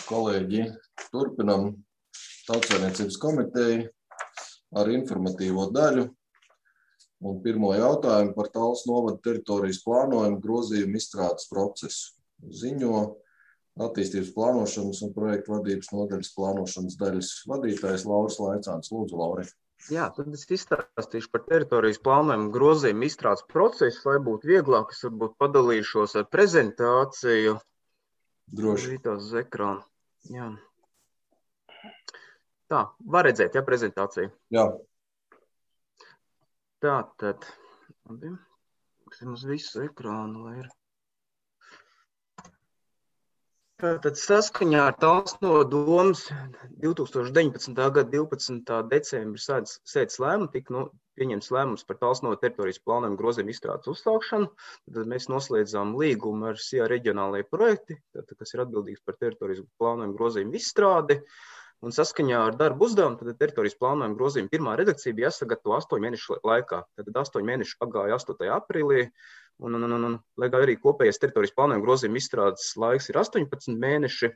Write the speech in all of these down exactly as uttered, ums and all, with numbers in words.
kolēģi, turpinam Tautsaimniecības komiteju ar informatīvo daļu. Un pirmo jautājumu par Tallas novada teritorijas plānojumu grozījumu izstrādes procesu. Ziņo attīstības plānošanas un projektu vadības nodaļas plānošanas daļas vadītājs Lauris Laicāns. Lūdzu, Lauri. Jā, tad es izstāstīšu par teritorijas plānojumu grozījumu izstrādes procesu, lai būtu vieglāk, es varbūt padalīšos ar prezentāciju. Droši. Uz ekrāna. Jā. Tā, var redzēt, ja, prezentāciju? Jā. Tā, tad, uz visu ekrānu, lai ir. Tātad saskaņā ar Tallas nodomas divi tūkstoši deviņpadsmitā gada divpadsmitā decembra sēdes lēmumu tika nu, pieņemts lēmums par Tallas novada teritorijas plānojumu grozījumu izstrādes uzsākšanu. Tad mēs noslēdzām līgumu ar S I A reģionālajie projekti, tātad, kas ir atbildīgs par teritorijas plānojumu grozījumu izstrādi. Un saskaņā ar darbu uzdevumu, tad teritorijas plānojuma grozījuma pirmā redakcija bija jāsagatavo astoņu mēnešu laikā. Tad astoņu mēnešu pagāja astotajā aprīlī, un, un, un, un lai arī kopējais teritorijas plānojuma grozījuma izstrādes laiks ir astoņpadsmit mēneši,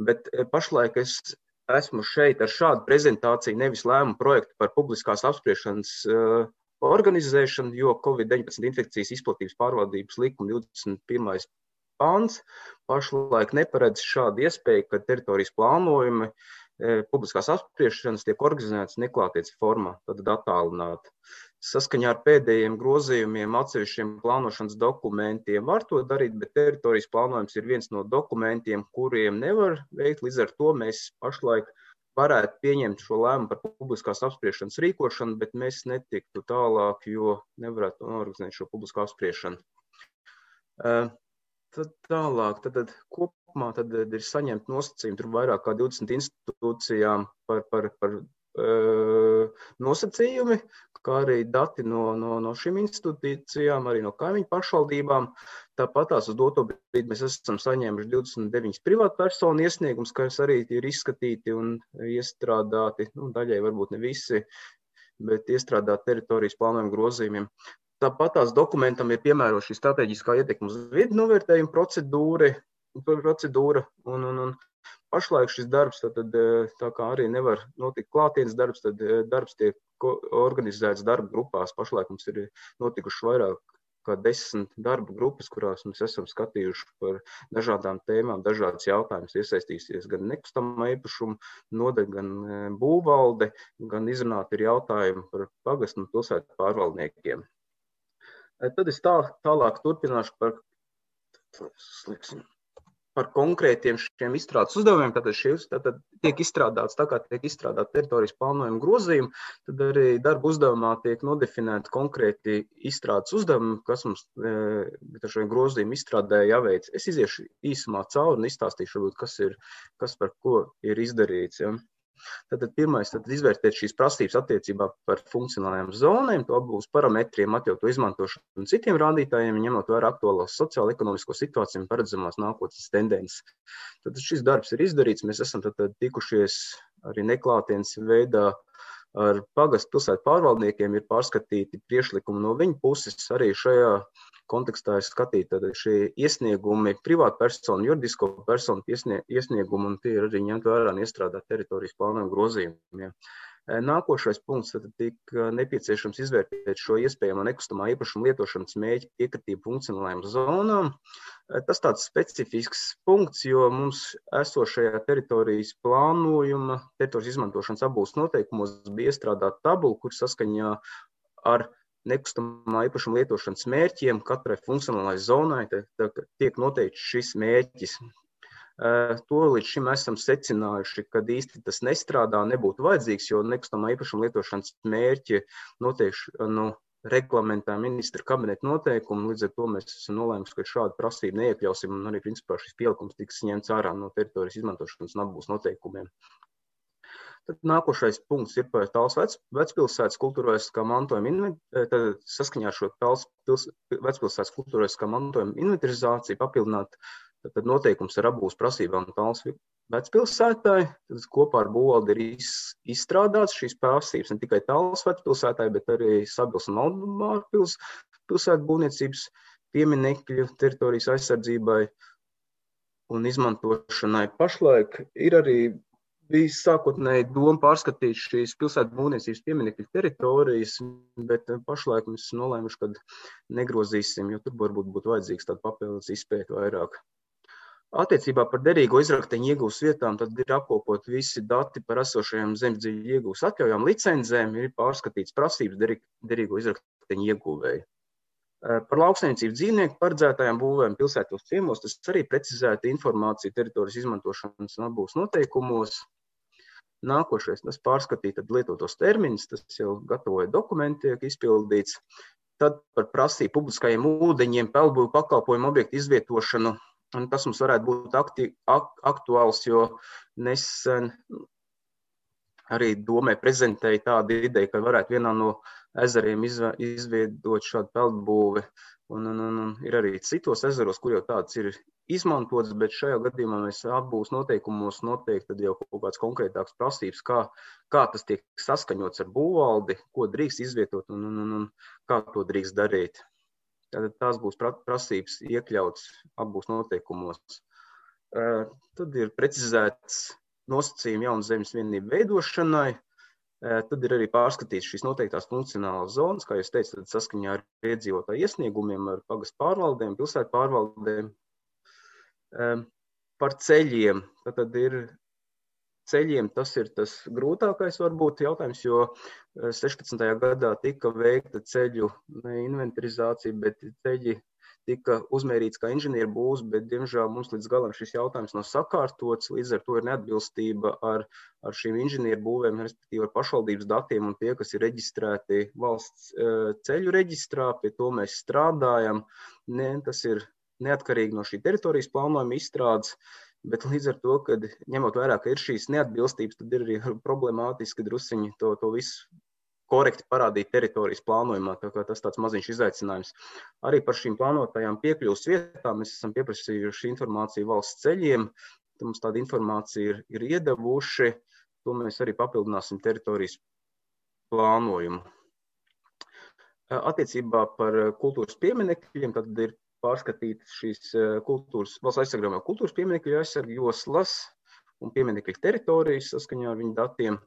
bet pašlaik es esmu šeit ar šādu prezentāciju, nevis lēmumu projektu par publiskās apspriešanas uh, organizēšanu, jo Covid deviņpadsmit infekcijas izplatības pārvaldības likuma divdesmit pirmais pants pašlaik neparedz šādu iespēju, ka teritorijas plānojumi publiskās apspriešanas tiek organizētas neklātienes formā, tad attālināti. Saskaņā ar pēdējiem grozījumiem atsevišķiem plānošanas dokumentiem var to darīt, bet teritorijas plānojums ir viens no dokumentiem, kuriem nevar veikt. Līdz ar to mēs pašlaik varētu pieņemt šo lēmumu par publiskās apspriešanas rīkošanu, bet mēs netiktu tālāk, jo nevarētu organizēt šo publisko apspriešanu. Tad tālāk, tad, tad kopumā tad ir saņemt nosacījumi, tur vairāk kā divdesmit institūcijām par, par, par e, nosacījumi, kā arī dati no, no, no šīm institūcijām, arī no kaimiņu pašvaldībām. Tāpat tās uz doto brīdi mēs esam saņēmuši divdesmit deviņas privātpersonu iesniegums, kas arī ir izskatīti un iestrādāti, nu, daļai varbūt ne visi, bet iestrādāti teritorijas plānojuma grozījumiem. Tāpat tās dokumentam ir piemērota šī strateģiskā ietekme uz vidi novērtējuma procedūra, procedūra un, un, un pašlaik šis darbs, tad, tā kā arī nevar notikt klātienes darbs, tad darbs tiek organizēts darba grupās. Pašlaik mums ir notikuši vairāk kā desmit darba grupas, kurās mēs esam skatījuši par dažādām tēmām, dažādas jautājumas, iesaistīsies gan nekustamā īpašuma nodaļa, gan būvvalde, gan izrunāt ir jautājumi par pagastu un pilsētu pārvaldniekiem. Tad es tā, tālāk turpināšu par, par konkrētiem šiem izstrādes uzdevumiem. Tātad šīs tātad tiek izstrādāts, tā kā tiek izstrādāt teritorijas plānojuma grozījumi, tad arī darba uzdevumā tiek nodefinēti konkrēti izstrādes uzdevumi, kas mums e, šo grozījumu izstrādē jāveic. Es iziešu īsumā cauri un izstāstīšu, varbūt, kas, ir, kas par ko ir izdarīts. Ja. Tātad pirmais, tad izvērtēt šīs prasības attiecībā par funkcionālajām zonēm, to apbūves parametriem, atļautu izmantošanu un citiem rādītājiem, ņemot vērā aktuālās sociālo-ekonomisko situāciju un paredzamās nākotnes tendences. Tad šis darbs ir izdarīts, mēs esam tad, tad tikušies arī neklātienes veidā ar pagastu pilsētu pārvaldniekiem, ir pārskatīti priekšlikumi no viņu puses, arī šajā kontekstā ir skatīti šie iesniegumi privātpersonu, juridisko personu iesniegumi, un tie ir arī ņemt vērā un iestrādāt teritorijas plānojuma grozījumi. Nākošais punkts, tad tika nepieciešams izvērtēt šo iespējamo nekustamā īpašuma lietošanas mērķi piekritību funkcionālajām zonām. Tas tāds specifisks punkts, jo mums esošajā teritorijas plānojuma, teritorijas izmantošanas apbūves noteikumos bija iestrādāta tabula, kur saskaņā ar nekustamā īpašuma lietošanas mērķiem katrai funkcionālai zonai tā, tā, tiek noteikts šis mērķis. To līdz šim esam secinājuši, ka īsti tas nestrādā, nebūtu vajadzīgs, jo nekustamā īpašuma lietošanas mērķi noteikti nu, reglamentā ministra kabineta noteikumu, līdz ar to mēs esam nolēmuši, ka šādu prasību neiekļausim, un arī principā šis pielikums tiks ņemts ārā no teritorijas izmantošanas un apbūves noteikumiem. Tad nākošais punkts ir par Tallas vec, vecpilsētas kultūrvēsturiskā mantojuma, tad saskaņā ar šo Tallas pils, vecpilsētas kultūrvēsturiskā mantojuma inventarizāciju papildināt tad noteikums ar apbūves prasībām Tallas vecpilsētai. Tad kopā ar būvvaldi ir iz, izstrādāts šīs prasības ne tikai Tallas vecpilsētai, bet arī Sabils un Valdemāra pils, pilsētu būvniecības pieminekļu teritorijas aizsardzībai. un izmantošanai. Pašlaik ir arī bijis sākotnēji doma pārskatīt šīs pilsētu būvniecības pieminekļu teritorijas, bet pašlaik mēs esam nolēmuši, ka negrozīsim, jo tur varbūt būtu vajadzīgs tāda papildus izpēta vairāk. Attiecībā par derīgo izrakteņu iegūs vietām tad ir apkopot visi dati par esošajām zemesdziļu iegūs atļaujām licencēm, ir pārskatīts prasības derīgo izrakteņu iegūvēju. Par lauksaimniecību dzīvnieku paredzētajām būvēm pilsētos ciemos tas arī precizēta informācija teritorijas izmantošanas un atbūves noteikumos. Nākošais, tas pārskatīt lietotos terminus, tas jau gatavoja dokumenti, tiek izpildīts. Tad par prasību publiskajiem ūdeņiem, peldbūvu pakalpojumu objektu izvietošanu. Un tas mums varētu būt akti, ak, aktuāls, jo nesen arī domē prezentēja tādu ideju, ka varētu vienā no ezeriem izveidot šādu peldbūvi. Un, un, un, un ir arī citos ezeros, kur jau tāds ir izmantots, bet šajā gadījumā mēs atbūves noteikumos noteikti tad jau kaut kāds konkrētāks prasības, kā, kā tas tiek saskaņots ar būvvaldi, ko drīkst izvietot un, un, un, un kā to drīkst darīt. Tātad tās būs prasības iekļauts atbūves noteikumos. Tad ir precizēts nosacījumi jaunas zemes vienību veidošanai. Tad ir arī pārskatīts šīs noteiktās funkcionālās zonas, kā jūs teicat, saskaņā ar iedzīvotāju iesniegumiem, ar pagastu pārvaldēm, pilsētu pārvaldēm. Par ceļiem. Tad ir ceļiem, tas ir tas grūtākais varbūt jautājums, jo sešpadsmitajā gadā tika veikta ceļu inventarizācija, bet ceļi tika uzmērīts kā inženieru būvs, bet, diemžēl, mums līdz galam šis jautājums nav sakārtots, līdz ar to ir neatbilstība ar, ar šīm inženieru būvēm, respektīvi ar pašvaldības datiem un tie, kas ir reģistrēti valsts ceļu reģistrā, pie to mēs strādājam. Ne, tas ir neatkarīgi no šī teritorijas plānojuma izstrādes, bet līdz ar to, kad ņemot vērā, ka ir šīs neatbilstības, tad ir arī problemātiski drusiņi to, to visu korekti parādīt teritorijas plānojumā, tā kā tas tāds maziņš izaicinājums. Arī par šīm plānotajām piekļuvas vietām mēs esam pieprasījuši informāciju valsts ceļiem, tad mums tāda informācija ir, ir iedavuši, to mēs arī papildināsim teritorijas plānojumu. Attiecībā par kultūras pieminekļiem, tad ir pārskatītas šīs kultūras, valsts aizsargājumā kultūras pieminekļu aizsargu joslas un pieminekļu teritorijas saskaņā ar viņu datiem.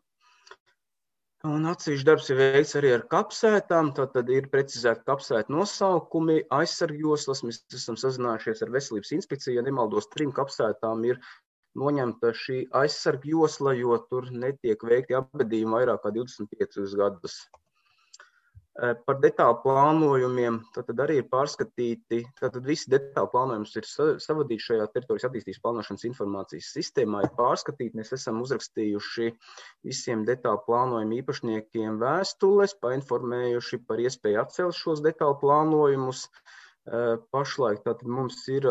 Un atsevišķi darbs ir veikts arī ar kapsētām, tad ir precizēti kapsētu nosaukumi, aizsargjoslas, mēs esam sazinājušies ar veselības inspekciju, ja nemaldos, trim kapsētām ir noņemta šī aizsargjosla, jo tur netiek veikti apbedījumi vairāk kā divdesmit piecus gadus. Par detālu plānojumiem, tad arī ir pārskatīti, tad visi detālu plānojums ir savadīti šajā teritorijas attīstības plānošanas informācijas sistēmā, ir pārskatīti, mēs esam uzrakstījuši visiem detālu plānojumu īpašniekiem vēstules, painformējuši par iespēju atcelt šos detālu plānojumus. Pašlaik tātad mums ir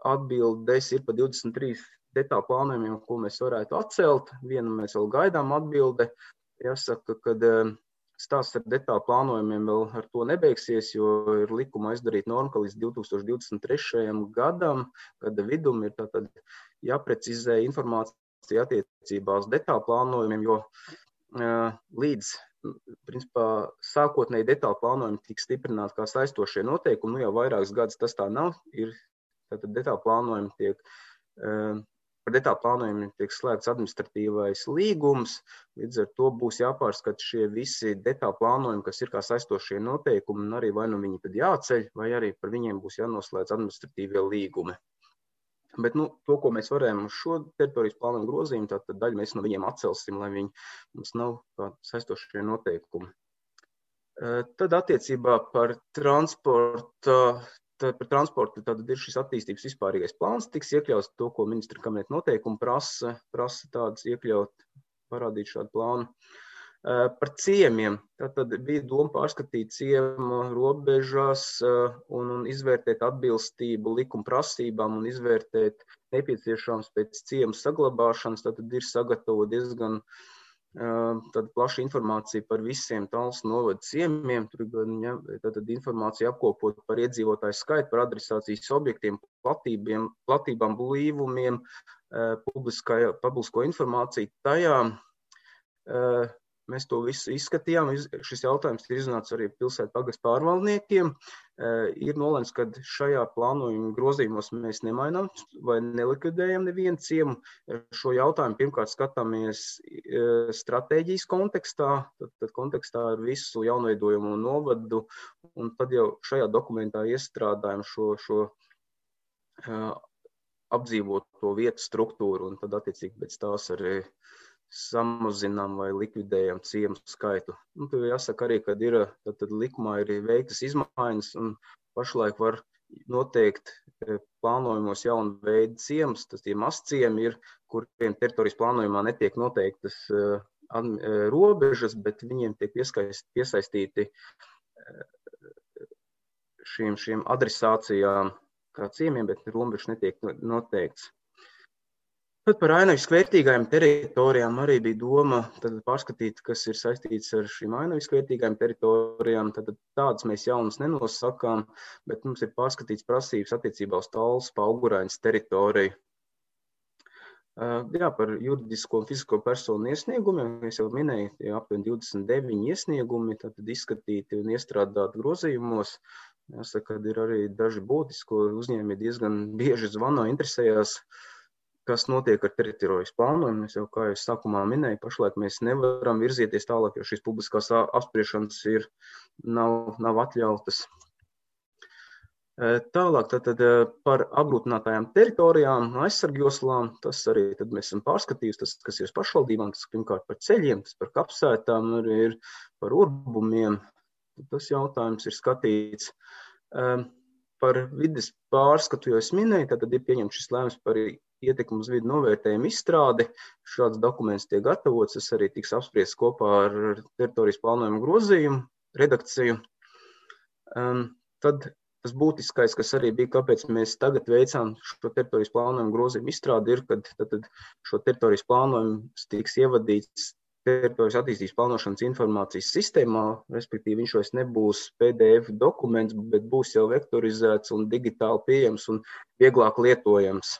atbildes, ir pa divdesmit trīs detālu plānojumiem, ko mēs varētu atcelt, vienu mēs vēl gaidām atbilde, jāsaka, kad stāsts ar detālu plānojumiem vēl ar to nebeigsies, jo ir likuma izdarīt norma, ka līdz divi tūkstoši divdesmit trešajam gadam, gada vidum ir tātad jāprecizē informācija attiecībā uz detālu plānojumiem, jo uh, līdz, principā, sākotnēji detālu plānojumi tiks stiprināti kā saistošie noteikumi, nu jau vairākus gadus tas tā nav, ir tātad detālu plānojumi tiek uh, Par detālu plānojumiem tiek slēgts administratīvais līgums, līdz ar to būs jāpārskata šie visi detālu plānojumi, kas ir kā saistošie noteikumi, un arī vai nu viņi tad jāceļ, vai arī par viņiem būs jānoslēdz administratīvie līgumi. Bet nu, to, ko mēs varējām uz šo teritorijas plānojumu grozījumu, tad daļu mēs no viņiem atcelsim, lai viņi mums nav kā saistošie noteikumi. Tad attiecībā par transporta Tad par transportu tad ir šis attīstības vispārīgais plāns, tiks iekļauts to, ko ministra kabineta noteikumi prasa, prasa tādas iekļaut, parādīt šādu plānu. Par ciemiem, tad bija doma pārskatīt ciemu robežās un, un izvērtēt atbilstību likuma prasībām un izvērtēt nepieciešams pēc ciemu saglabāšanas, tad ir sagatavot diezgan Tad plaša informācija par visiem Talsu novada ciemiem, tur tad informācija apkopot par iedzīvotāju skaitu, par adresācijas objektiem, platībiem, platībām, blīvumiem, publisko informāciju tajā. Mēs to visu izskatījām, šis jautājums ir izrunāts arī pilsētu pagastu pārvaldniekiem. Ir nolēmts, ka šajā plānojuma grozījumos mēs nemainām vai nelikvidējam nevienu ciemu. Šo jautājumu pirmkārt skatāmies stratēģijas kontekstā, tad, tad kontekstā ar visu jaunveidojumu novadu, un tad jau šajā dokumentā iestrādājam šo, šo apdzīvot to vietu struktūru, un tad attiecīgi pēc tās arī samazinām vai likvidējam ciemu skaitu. Un tur jāsaka arī, ka ir, tad, tad likumā ir veiktas izmaiņas, un pašlaik var noteikt plānojumos jaunu veidu ciemus, tas tie mazciemi ir, kuriem teritorijas plānojumā netiek noteiktas robežas, bet viņiem tiek piesaistīti šīm, šīm adresācijām kā ciemiem, bet robežas netiek noteikts. Tad par ainaviski vērtīgajām teritorijām arī bija doma tad pārskatīt, kas ir saistīts ar šīm ainaviski vērtīgajām teritorijām. Tad tādas mēs jaunas nenosakām, bet mums ir pārskatīts prasības attiecībā uz Tallas Paugurainas teritoriju. Jā, par juridisko un fizisko personu iesniegumiem, es jau minēju, tie aptuveni divdesmit deviņi iesniegumi, tad izskatīti un iestrādāti grozījumos. Jāsaka, ka ir arī daži būtiski uzņēmumi diezgan bieži zvano, interesējās, kas notiek ar teritorijas plānojumu. Es jau, kā jau sākumā minēju, pašlaik mēs nevaram virzieties tālāk, jo šīs publiskās apspriešanas ir, nav, nav atļautas. Tālāk tad, tad par apgrūtinātajām teritorijām, aizsargjoslām, tas arī tad mēs esam pārskatījuši, tas, kas ir pašvaldībām, tas pirmkārt par ceļiem, tas par kapsētām, arī ir par urbumiem. Tas jautājums ir skatīts. Par vides pārskatu, jo es minēju, tad ir pieņemts šis lēmums par ietekmu uz vidu novērtējumu izstrādi. Šāds dokuments tiek gatavots, tas arī tiks apspriests kopā ar teritorijas plānojumu grozījumu redakciju. Tad tas būtiskais, kas arī bija, kāpēc mēs tagad veicām šo teritorijas plānojumu grozījumu izstrādi, ir, kad tad šo teritorijas plānojumu tiks ievadīts teritorijas attīstības plānošanas informācijas sistēmā, respektīvi viņš vairs nebūs P D F dokuments, bet būs jau vektorizēts un digitāli pieejams un vieglāk lietojams.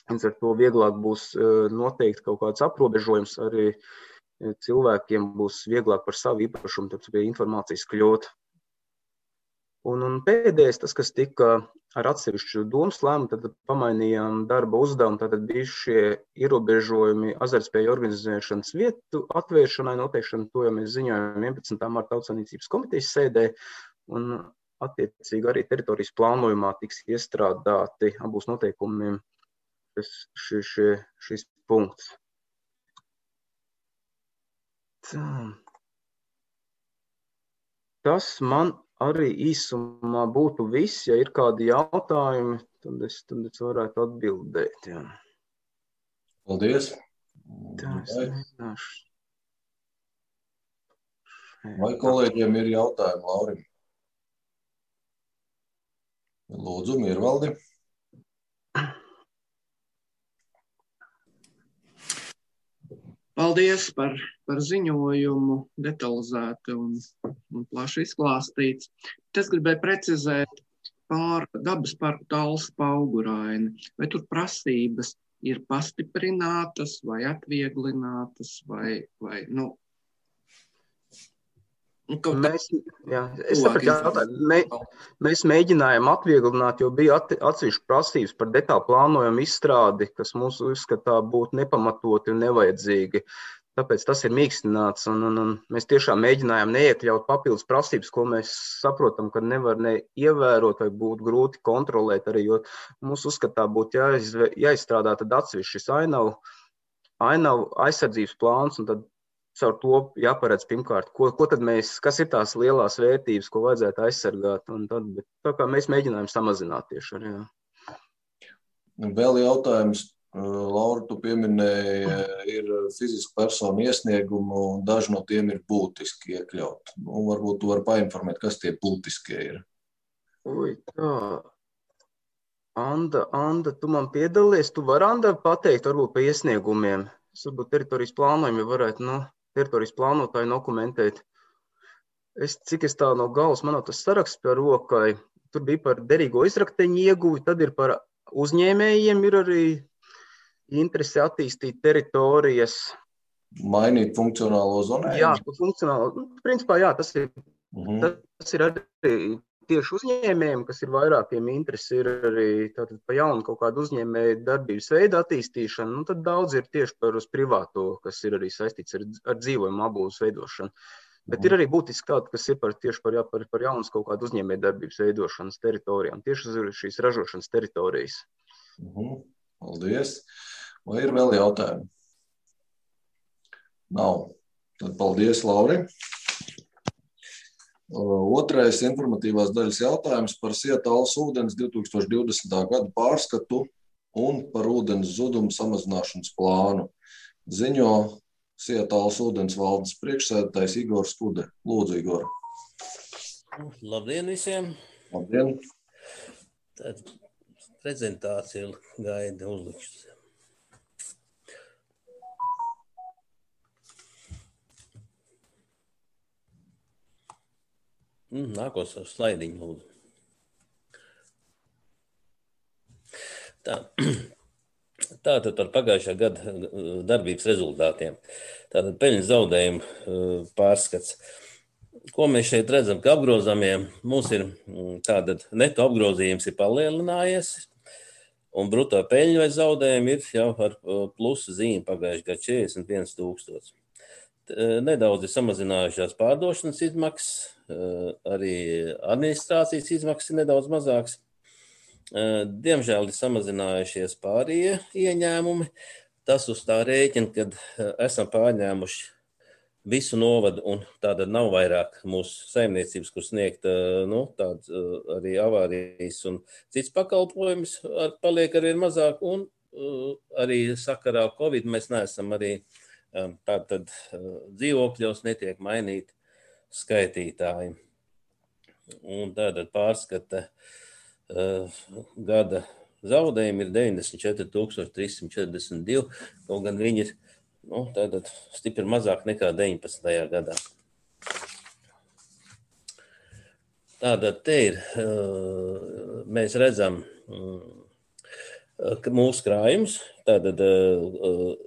Līdz ar to vieglāk būs noteikti kaut kāds aprobežojums, arī cilvēkiem būs vieglāk par savu īpašumu, tad pie informācijas kļūt. Un, un pēdējais, tas, kas tika ar atsevišķu domas lēmumu, tad pamainījām darba uzdevumu, tad bija šie ierobežojumi azartspēju organizēšanas vietu atvēršanai, noteikšana, to jau mēs ziņojam vienpadsmitā marta Tautsaimniecības komitejas sēdē, un attiecīgi arī teritorijas plānojumā tiks iestrādāti abūs noteikumiem šis, šis, šis punkts. Tā. Tas man arī īsumā būtu viss, ja ir kādi jautājumi, tad es, tad es varētu atbildēt. Jā. Paldies. Tā, es nezināšu. Vai kolēģiem ir jautājumi, Laurim? Lūdzu, Miervaldi. Paldies par, par ziņojumu, detalizēti un, un plaši izklāstīts. Es gribēju precizēt pār dabas parku Tallas Pauguraini. Vai tur prasības ir pastiprinātas vai atvieglinātas vai, vai nu, Mēs, jā, es sapratu jautājumu. Mē, mēs mēģinājām atvieglināt, jo bija atsevišķi prasības par detālu plānojumu izstrādi, kas mūsu uzskatā būtu nepamatoti un nevajadzīgi. Tāpēc tas ir mīkstināts, un, un, un mēs tiešām mēģinājām neiekļaut papildus prasības, ko mēs saprotam, ka nevar ne ievērot vai būtu grūti kontrolēt arī, jo mūsu uzskatā būtu jāiz, jāizstrādā tad atsevišķis ainavu, ainavu aizsardzības plāns, un tad caur to jāparedz pirmkārt, ko, ko tad mēs, kas ir tās lielās vērtības, ko vajadzētu aizsargāt, un tad, bet tā kā mēs mēģinājām samazināt tieši arī, jā. Vēl jautājums, Laura, tu pieminēji, ir fiziska persona iesniegumu, un daži no tiem ir būtiski iekļaut. Un varbūt tu vari painformēt, kas tie būtiskie ir. Ui, tā. Anda, Anda, tu man piedalies, tu vari, Anda, pateikt varbūt pa iesniegumiem. Es varbūt teritorijas plānojumi varētu, nu, teritorijas plānotāju dokumentēt. Es, cik es tā no galvas, man tas saraksts par rokai, tur bija par derīgo izrakteņu ieguvi, tad ir par uzņēmējiem, ir arī interesi attīstīt teritorijas. Mainīt funkcionālo zonējumu? Jā, funkcionālo, principā jā, tas ir, uh-huh. tas ir arī tieši uzņēmējiem, kas ir vairākiem interesi, ir arī tātad pa jaunu kaut kādu uzņēmēju darbības veidu attīstīšanu, nu tad daudz ir tieši par uz privāto, kas ir arī saistīts ar, ar dzīvojumu apbūves veidošanu. Bet ir arī būtiski tāda, kas ir par, tieši par, par, par jaunas kaut kādu uzņēmēju darbības veidošanas teritorijām, tieši uz šīs ražošanas teritorijas. Mhm. Paldies. Vai ir vēl jautājumi? Nav. Tad paldies, Lauri. Otrais informatīvās daļas jautājums par Sietales ūdens divi tūkstoši divdesmitā gada pārskatu un par ūdens zudumu samazināšanas plānu. Ziņo Sietales ūdens valdes priekšsēdētājs Igors Kude. Lūdzu, Igor. Labdien visiem. Labdien. Tad prezentācija gaida uzlikšas. Nākos ar slaidiņu, lūdzu. Tā. Tātad par pagājušā gada darbības rezultātiem. Tātad peļņas zaudējumu pārskats. Ko mēs šeit redzam, ka apgrozāmie mums ir tātad neto apgrozījums ir palielinājies un bruto peļņu vai zaudējumi ir jau ar plusu zīmi pagājušā gada četrdesmit viens tūkstoši. Nedaudz ir samazinājušās pārdošanas izmaksas, arī administrācijas izmaksas ir nedaudz mazāks. Diemžēl ir samazinājušies pārējie ieņēmumi. Tas uz tā rēķina, kad esam pārņēmuši visu novadu un tāda nav vairāk mūsu saimniecības, kur sniegt nu, tād, arī avārijas un cits pakalpojums paliek arvien mazāk un arī sakarā Covid mēs neesam arī tātad dzīvokļos netiek mainīti skaitītāji. Un tātad pārskata Uh, gada zaudējumi ir deviņdesmit četri tūkstoši trīs simti četrdesmit divi, kaut gan viņi ir nu, tātad stipri mazāk nekā deviņpadsmitajā gadā. Tātad te ir, uh, mēs redzam uh, mūsu krājums, tātad uh,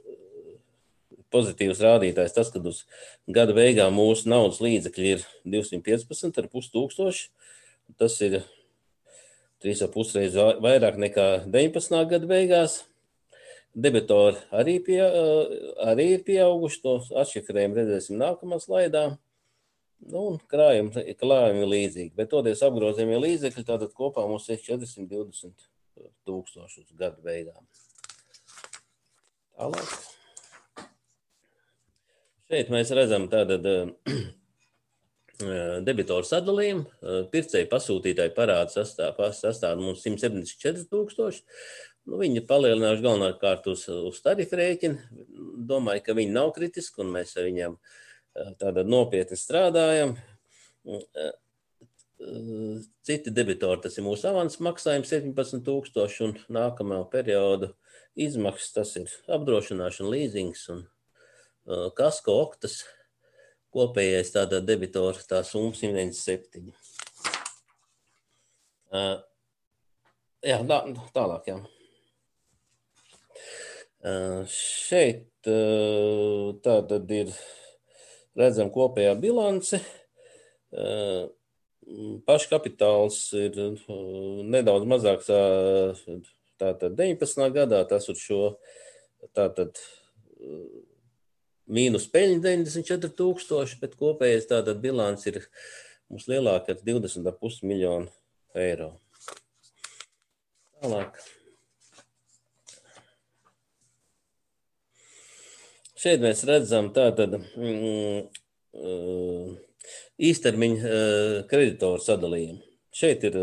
pozitīvs rādītājs tas, kad uz gada beigām mūsu naudas līdzekļi ir divsimt piecpadsmit ar pus tūkstoši, tas ir trīs ar pus reiz vairāk nekā deviņpadsmitā gada beigās. Debitori arī, pie, arī ir pieauguši, to atšifrējumu redzēsim nākamā slaidā. Nu, un krājumi, krājumi ir līdzīgi, bet toties apgrozījumie līdzekļi, tātad kopā mums ir četrsimt divdesmit tūkstoši uz gada beigām. Tālāk. Šeit mēs redzam tātad debitoru sadalījumu. Pircēju pasūtītāju parādu sastāv, sastāv mums simt septiņdesmit četri tūkstoši. Nu, viņi palielinājuši galvenokārt uz, uz tarifu rēķinu. Domāju, ka viņi nav kritiski, un mēs ar viņiem tātad nopietni strādājam. Citi debitori, tas ir mūsu avans maksājums septiņpadsmit tūkstoši, un nākamā periodu izmaksas, tas ir apdrošināšana, līzings un uh, kasko oktas. Kopējais tādā debitora tā summa simt deviņdesmit septiņi. Uh, jā, tā, tālāk, jā. Uh, šeit uh, tātad ir, redzam, kopējā bilance. Uh, paškapitāls ir uh, nedaudz mazāks uh, tātad deviņpadsmitā gadā, tas uz šo tātad uh, mīnus peļņa deviņdesmit četri tūkstoši, bet kopējais tātad bilants ir mums lielāka ar divdesmit ar pus miljonu eiro. Tālāk. Šeit mēs redzam tātad mm, īstermiņa kreditoru sadalījumu. Šeit ir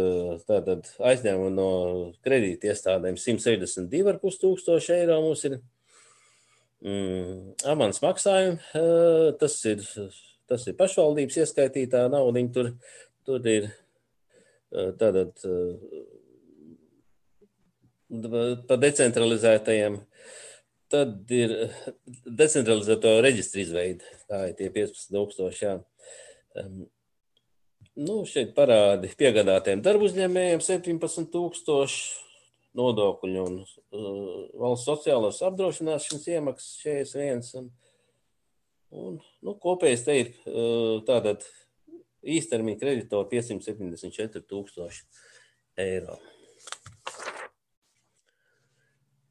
tātad aizņēmumi no kredīta iestādēm simt sešdesmit divi ar pus tūkstoši eiro mums ir. Mm, avans maksājumi, tas ir, tas ir pašvaldības ieskaitītā nauda, tur, tur ir tātad pa decentralizētajiem, tad ir decentralizēto reģistru izveidi, tā ir tie piecpadsmit tūkstoši, jā. Nu, šeit parādi piegādātiem darbu uzņēmējiem septiņpadsmit tūkstoši, nodokļu un uh, valsts sociālās apdrošināšanas iemaksas četrdesmit viens. Un, un, nu, kopējais te ir uh, tātad īstermiņa kreditori piecsimt septiņdesmit četri tūkstoši eiro.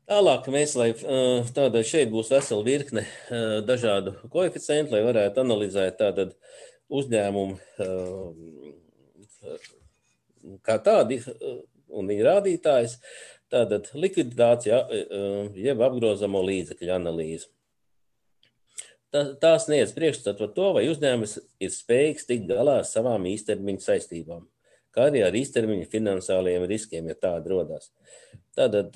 Tālāk mēs, lai tātad šeit būs vesela virkne dažādu koeficientu, lai varētu analizēt tātad uzņēmumu kā tādi un viņa rādītājs, tātad likviditācija, jeb apgrozamo līdzekļu analīze. Tās sniedz priekšstatu par to, vai uzņēmums ir spējīgs tikt galā ar savām īstermiņa saistībām, kā arī ar īstermiņa finansālajiem riskiem, ja tādi rodās. Tātad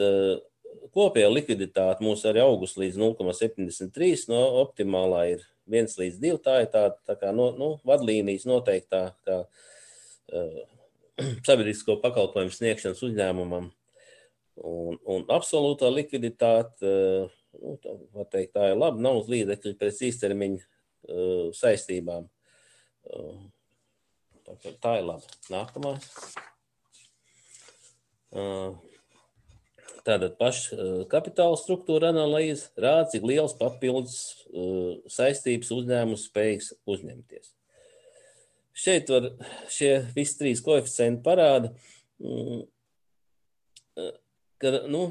kopējā likviditāte mūs arī augus līdz nulle komats septiņdesmit trīs, no optimālā ir viens līdz divi, tā ir tā, tā kā no, nu, vadlīnijas noteiktā kā uh, sabiedrisko pakalpojumu sniegšanas uzņēmumam. Un, un absolūtā likviditāte, uh, nu, tā, var teikt, tā ir laba, nav uz līdzekļu pēc īstermiņa uh, saistībām. Uh, tā, tā ir laba. Nākamā. Uh, Tātad paša kapitāla struktūra analīze rāda, cik liels papildus uh, saistības uzņēmums spējīgs uzņemties. Šeit var šie visi trīs koeficienti parāda, um, ka, nu,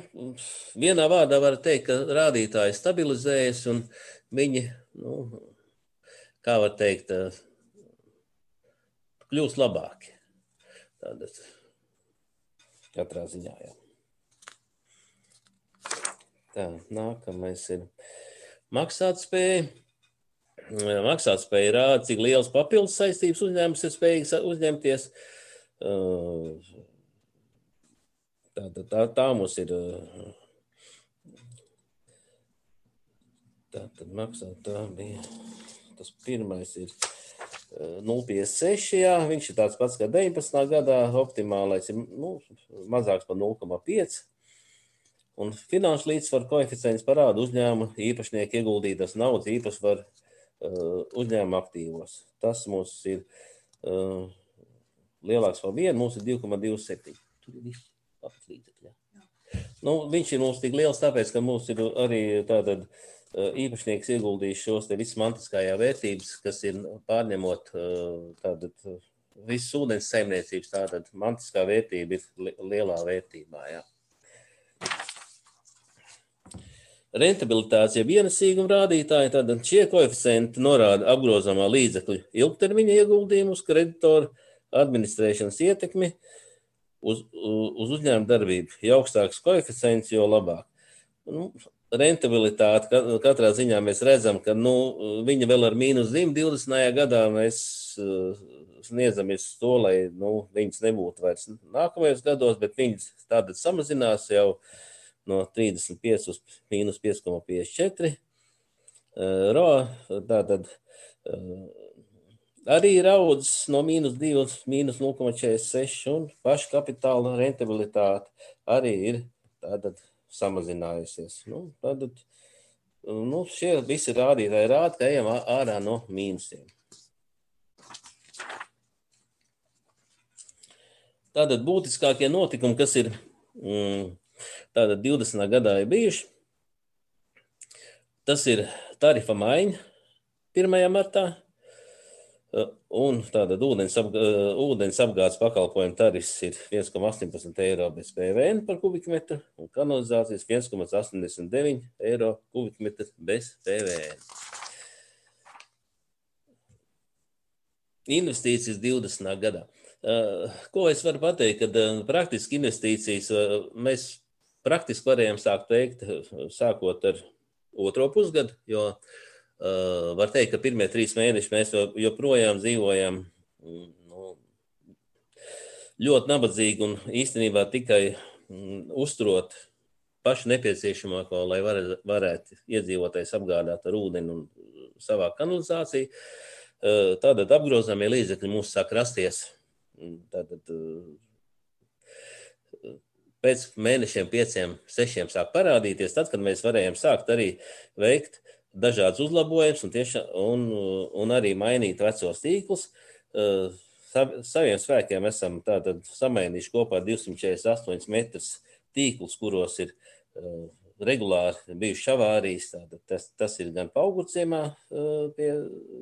vienā vārdā var teikt, ka rādītāji stabilizējas un viņi, nu, kā var teikt, kļūst labāki. Tātad katrā ziņā, jā. Tā, nākamais ir maksātspēja. Maksātspēja rāda, cik liels papildus saistības uzņēmums ir spējīgs uzņemties. Tā, tā, tā mums ir. Tā tad maksāt, tā bija. Tas pirmais ir nulle komats piecdesmit seši, jā. Viņš ir tāds pats kā deviņpadsmitā gadā. Optimālais ir, nu, mazāks par nulle komats pieci. Un finanšu līdzsvaru koeficients parāda uzņēmuma īpašnieku ieguldītas naudas īpašvaru uh, uzņēmuma aktīvos. Tas mums ir uh, lielāks par vienu, mums ir divi komats divdesmit septiņi. Tur ir viss labs līdzekļi. Nu, viņš ir mums tik liels, tāpēc, ka mums ir arī tātad uh, īpašnieks ieguldījis šos te visas mantiskajā vērtības, kas ir pārņemot uh, tātad uh, visas ūdens saimniecības, tātad mantiskā vērtība ir li lielā vērtībā, jā. Rentabilitātes, jeb ienesīguma rādītāji, tad šie koeficienti norāda apgrozāmā līdzekļu ilgtermiņa ieguldījumu uz kreditoru administrēšanas ietekmi uz, uz uzņēmuma darbību. Jo augstāks koeficients, jo labāk. Nu, rentabilitāte katrā ziņā mēs redzam, ka nu, viņa vēl ar mīnus divdesmitajā gadā mēs uh, sniedzamies to, lai nu, viņas nebūtu vairs nākamajos gados, bet viņas tātad samazinās jau no trīsdesmit pieci uz mīnus pieci komats piecdesmit četri. Uh, R O A tātad uh, arī ir audzis no mīnus divi uz mīnus nulle komats četrdesmit seši un paša kapitāla rentabilitāte arī ir tātad samazinājusies. Nu, tātad, nu, šie visi rādītāji rāda, ka ejam ārā no mīnusiem. Tātad būtiskākie notikumi, kas ir mm, tātad divdesmitā gadā ir bijuši. Tas ir tarifa maiņa pirmajā martā un tātad ūdens, apgā, ūdens apgādes pakalpojumu tarifs ir viens komats astoņpadsmit eiro bez P V N par kubikmetru un kanalizācijas viens komats astoņdesmit deviņi eiro kubikmetru bez P V N. Investīcijas divdesmitā gadā. Ko es varu pateikt, kad praktiski investīcijas mēs praktiski varējām sākt veikt, sākot ar otro pusgadu, jo uh, var teikt, ka pirmie trīs mēneši mēs joprojām dzīvojam nu, ļoti nabadzīgi un īstenībā tikai mm, uzturot pašu nepieciešamāko, lai var, varētu iedzīvotājs apgādāt ar ūdeni un savā kanalizāciju. Uh, tātad apgrozāmie līdzekļi mums sāk rasties. Tātad, uh, pēc mēnešiem, pieciem, sešiem sāk parādīties, tad, kad mēs varējām sākt arī veikt dažādas uzlabojumus un, tieši, un, un arī mainīt vecos tīklus. Saviem spēkiem esam tātad samainījuši kopā divsimt četrdesmit astoņus metrus tīklus, kuros ir regulāri bijuši avārijas. Tātad tas, tas ir gan Paugurciemā pie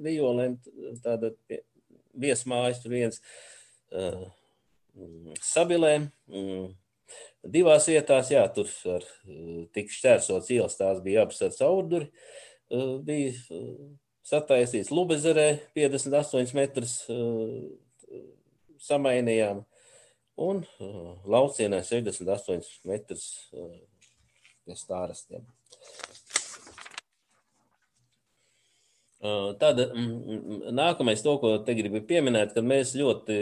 Vijolēm, tātad pie viesmājas, tur viens Sabilē. Divās vietās, jā, tur ar tik šķērsots ielas, tās bija abas ar caurduri. Bija sataisīts Lubezerē piecdesmit astoņus metrus samainījām un Laucienē sešdesmit astoņus metrus pie stārastiem. Tad nākamais to, ko te gribu pieminēt, kad mēs ļoti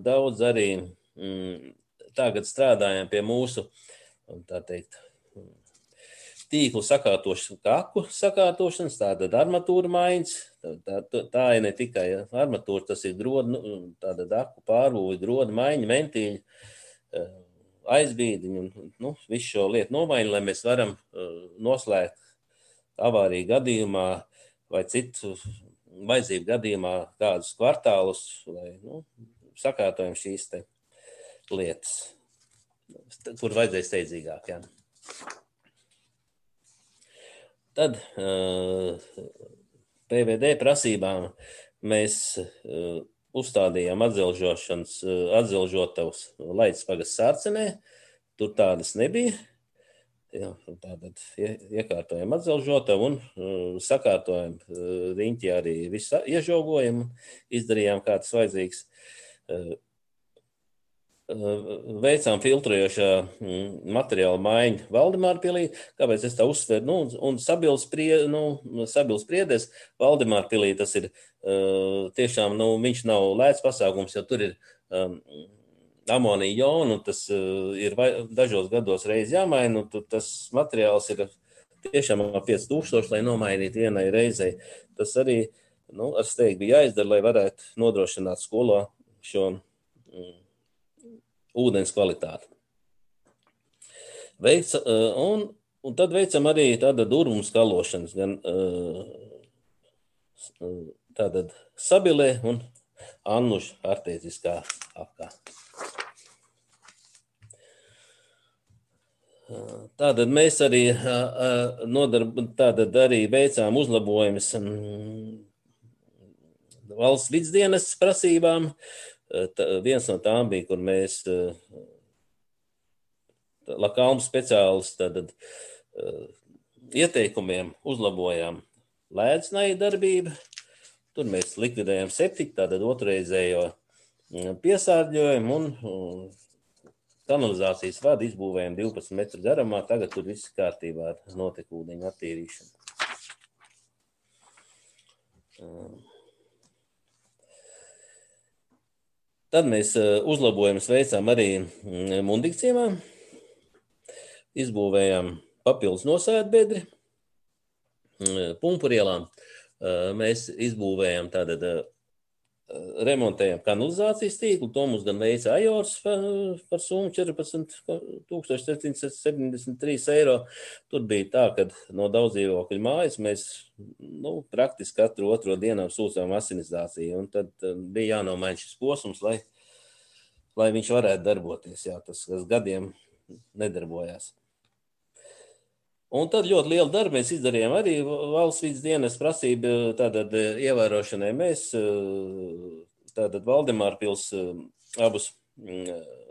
daudz arī tagad strādājam pie mūsu, tā teikt, tīklu sakārtošanas, kaku sakārtošanas, tātad armatūra maiņas, tā, tā, tā ir ne tikai armatūra, tas ir groda, tāda daku pārbūvi, groda maiņa, mentīļi, aizbīdiņi un nu, visu šo lietu nomaiņu, lai mēs varam noslēgt avāriju gadījumā vai citu vajadzību gadījumā kādus kvartālus, lai nu, sakārtojam šīs te lietas, kur vajadzēja steidzīgāk. Jā. Tad P V D prasībām mēs uzstādījām atzelžošanas, atzelžotavus Laidas pagasts Sārcenē, tur tādas nebija. Jā, tātad iekārtojam atzelžotavu un uh, sakārtojam uh, riņķi arī visu iežogojam, izdarījām kā tas vajadzīgs. Uh, uh, veicām filtrējošā mm, materiāla maiņu Valdemārpilī, kāpēc es tā uzsveru, nu, un Sabils, prie, nu, Sabils Priedes Valdemārpilī tas ir uh, tiešām, nu, viņš nav lēts pasākums, jo tur ir um, amonija jonu, un tas uh, ir vai, dažos gados reiz jāmaina, un tas materiāls ir tiešām pieci tūkstoši, lai nomainītu vienai reizei. Tas arī nu, ar steigtu bija jāizdara, lai varētu nodrošināt skolā šo mm, ūdens kvalitāti. Veic, uh, un, un tad veicam arī tāda durvumu skalošanas, gan uh, tātad Sabilē un Annuša artēziskā apkā. Tātad mēs arī, nodarb, tātad arī veicām uzlabojumus valsts vidsdienas prasībām. Tā, viens no tām bija, kur mēs Lakalnu speciālis tātad, ieteikumiem uzlabojām lēdznaja darbību. Tur mēs likvidējām septiku, tātad otrreizējo piesārģojumu un kanalizācijas vadu izbūvējām divpadsmit metru garumā, tagad tur viss kārtībā ar notekūdeņu attīrīšanu. Tad mēs uzlabojumus veicām arī Mundikciemā, izbūvējām papildus nosēdbedri, Pumpurielām. Mēs izbūvējām tātad remontējam kanalizācijas tīklu, to mums gan veica Ajors par, par summu četrpadsmit tūkstoši septiņsimt septiņdesmit trīs eiro. Tur bija tā, ka no daudz dzīvokļu mājas mēs nu, praktiski katru otro dienām sūcām asinizāciju, un tad bija jānomaina šis posms, lai, lai viņš varētu darboties. Jā, tas, kas gadiem nedarbojās. Un tad ļoti lielu darbu mēs izdarījām arī valsts vidsdienas prasību tātad ievērošanai. Mēs tātad Valdemārpils abus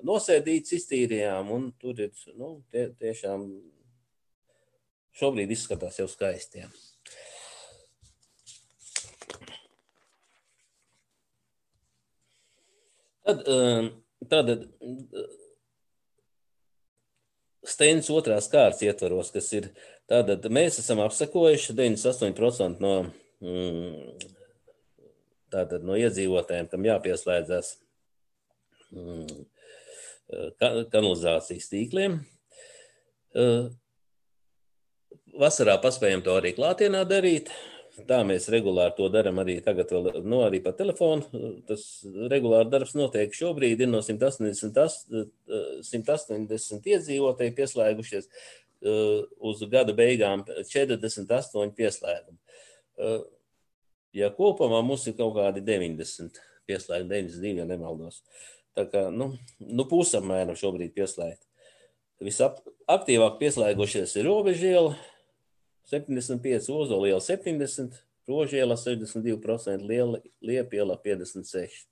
nosēdītus iztīrījām, un tur ir, nu, tie, tiešām šobrīd izskatās jau skaisti. Jā. Tad, tātad, Steinas otrās kārtas ietvaros, kas ir tātad mēs esam apsekojuši deviņdesmit astoņi procenti no, mm, tātad no iedzīvotājiem, kam jāpieslēdzas mm, kanalizācijas tīkliem. Vasarā paspējam to arī klātienā darīt. Tā mēs regulāri to daram arī tagad vēl, no arī pa telefonu. Tas regulāri darbs notiek šobrīd, ir no simt astoņdesmit iedzīvotāji pieslēgušies uz gada beigām četrdesmit astoņi pieslēgumi. Ja kopumā mums ir kaut kādi deviņdesmit pieslēgumi, deviņdesmit divi, ja nemaldos. Tā kā, nu, nu pusapmēram šobrīd pieslēgt. Visaktīvāk pieslēgušies ir Robežiela, septiņdesmit pieci, Ozoliela septiņdesmit, Rožielā sešdesmit divi procenti, Liepielā piecdesmit seši procenti.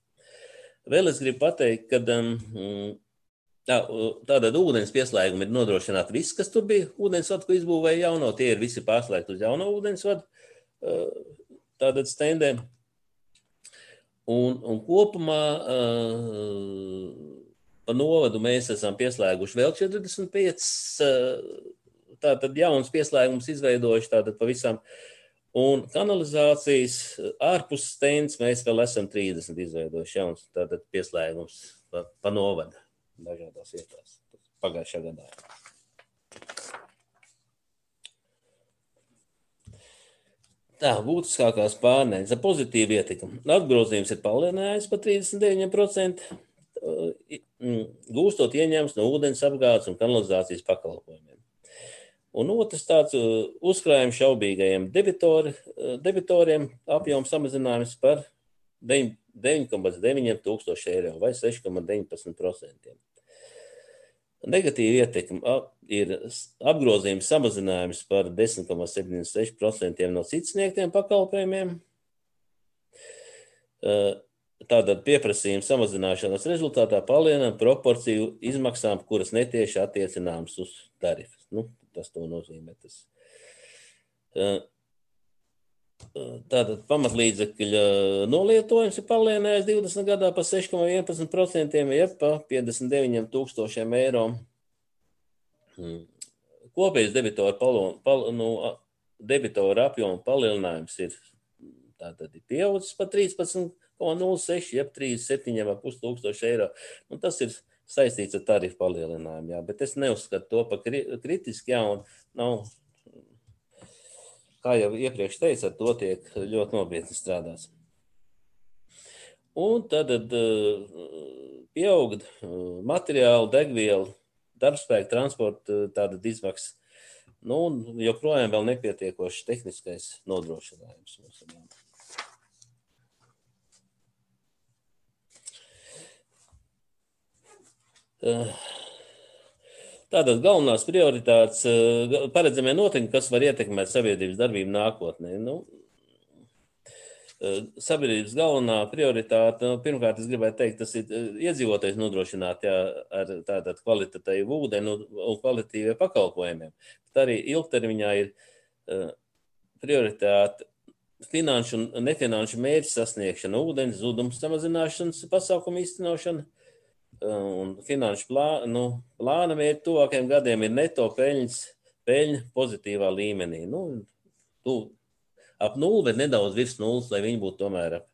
Vēl es gribu pateikt, ka um, tā, tātad ūdens pieslēgumi ir nodrošināti viss, kas tur bija ūdensvadu, ko izbūvēja jauno, tie ir visi pārslēgti uz jauno ūdensvadu tātad stendēm. Un, un kopumā uh, pa novadu mēs esam pieslēguši vēl četrdesmit pieci tātad jaunas pieslēgumus izveidojuši tātad pavisam. Un kanalizācijas ārpus stends mēs vēl esam trīsdesmit izveidojuši jaunas tātad pieslēgumus pa, pa novadu dažādās vietās pagājušā gadā. Tā, būtiskākās pārnēs ar pozitīvu ietekmi. Atgrozījums ir palielinājis par trīsdesmit deviņi procenti, gūstot ieņēmumus no ūdens apgādes un kanalizācijas pakalpojumiem. Un otrs tāds uzkrājums šaubīgajiem debitori, debitoriem apjomu samazinājums par deviņi komats deviņi tūkstoši eiro vai seši komats deviņpadsmit procenti. Negatīva ietekme ir apgrozījums samazinājums par desmit komats septiņdesmit seši procenti no citas sniegtiem pakalpojumiem. Tātad pieprasījuma samazināšanas rezultātā palielinām proporciju izmaksām, kuras netieši attiecināmas uz tarifas. Nu, tas to nozīmē. Tas. Tātad pamatlīdzekļa nolietojums ir palielinājis divdesmit gadā pa seši komats vienpadsmit procenti, jeb pa piecdesmit deviņiem tūkstošiem eiro. Kopējais debitoru, palo, pal, nu, debitoru apjomu palielinājums ir, tātad ir pieaudzis pa trīspadsmit komats nulle seši, jeb trīsdesmit septiņi komats pieci tūkstoši eiro. Un tas ir saistīts ar tarifu palielinājumu, jā, bet es neuzskatu to pa kritiski, jā, un nav... Kā jau iepriekš teicu, ar to tiek ļoti nopietni strādāts. Un tad pieaug materiālu, degvielu, darbspēku, transporta tāda izmaksas. Nu, un joprojām vēl nepietiekošs tehniskais nodrošinājums. Tātad galvenās prioritātes, paredzamie noteikumi, kas var ietekmēt sabiedrības darbību nākotnē. Nu, sabiedrības galvenā prioritāte, nu, pirmkārt, es gribētu teikt, tas ir iedzīvotājs nodrošināt jā, ar tātad kvalitatīvu ūdeni un kvalitīviem pakalpojumiem. Bet arī ilgtermiņā ir prioritāte finanšu un nefinanšu mērķu sasniegšana, ūdens zudums samazināšanas pasākumu īstenošana. Un finanšu plāna, nu, plāna mērķi tuvākajiem gadiem ir neto peļņas, peļņa pozitīvā līmenī. Nu, tu, ap nulli, bet nedaudz virs nulles, lai viņi būtu tomēr ap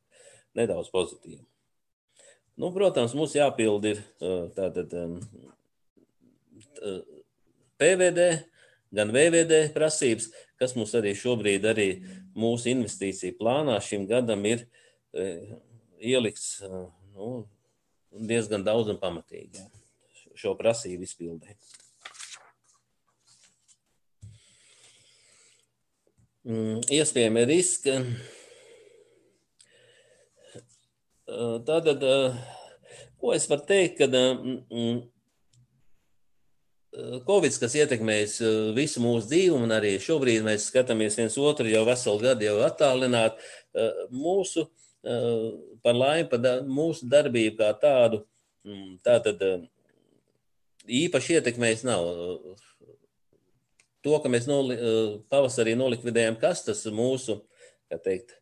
nedaudz pozitīvi. Nu, protams, mums jāpild ir tātad P V D, gan V V D prasības, kas mums arī šobrīd arī mūsu investīciju plānā šim gadam ir ielikts, nu, diezgan daudz un pamatīgi jā, šo prasību izpildē. Iespējami riski. Tātad, ko es varu teikt, kad Covid, kas ietekmēs visu mūsu dzīvi, un arī šobrīd mēs skatāmies viens otru jau veselu gadu jau attālināt, mūsu par laimi, par mūsu darbību kā tādu, tātad īpaši ietekmējis nav. To, ka mēs noli, pavasarī nolikvidējam kastas, mūsu, kā teikt,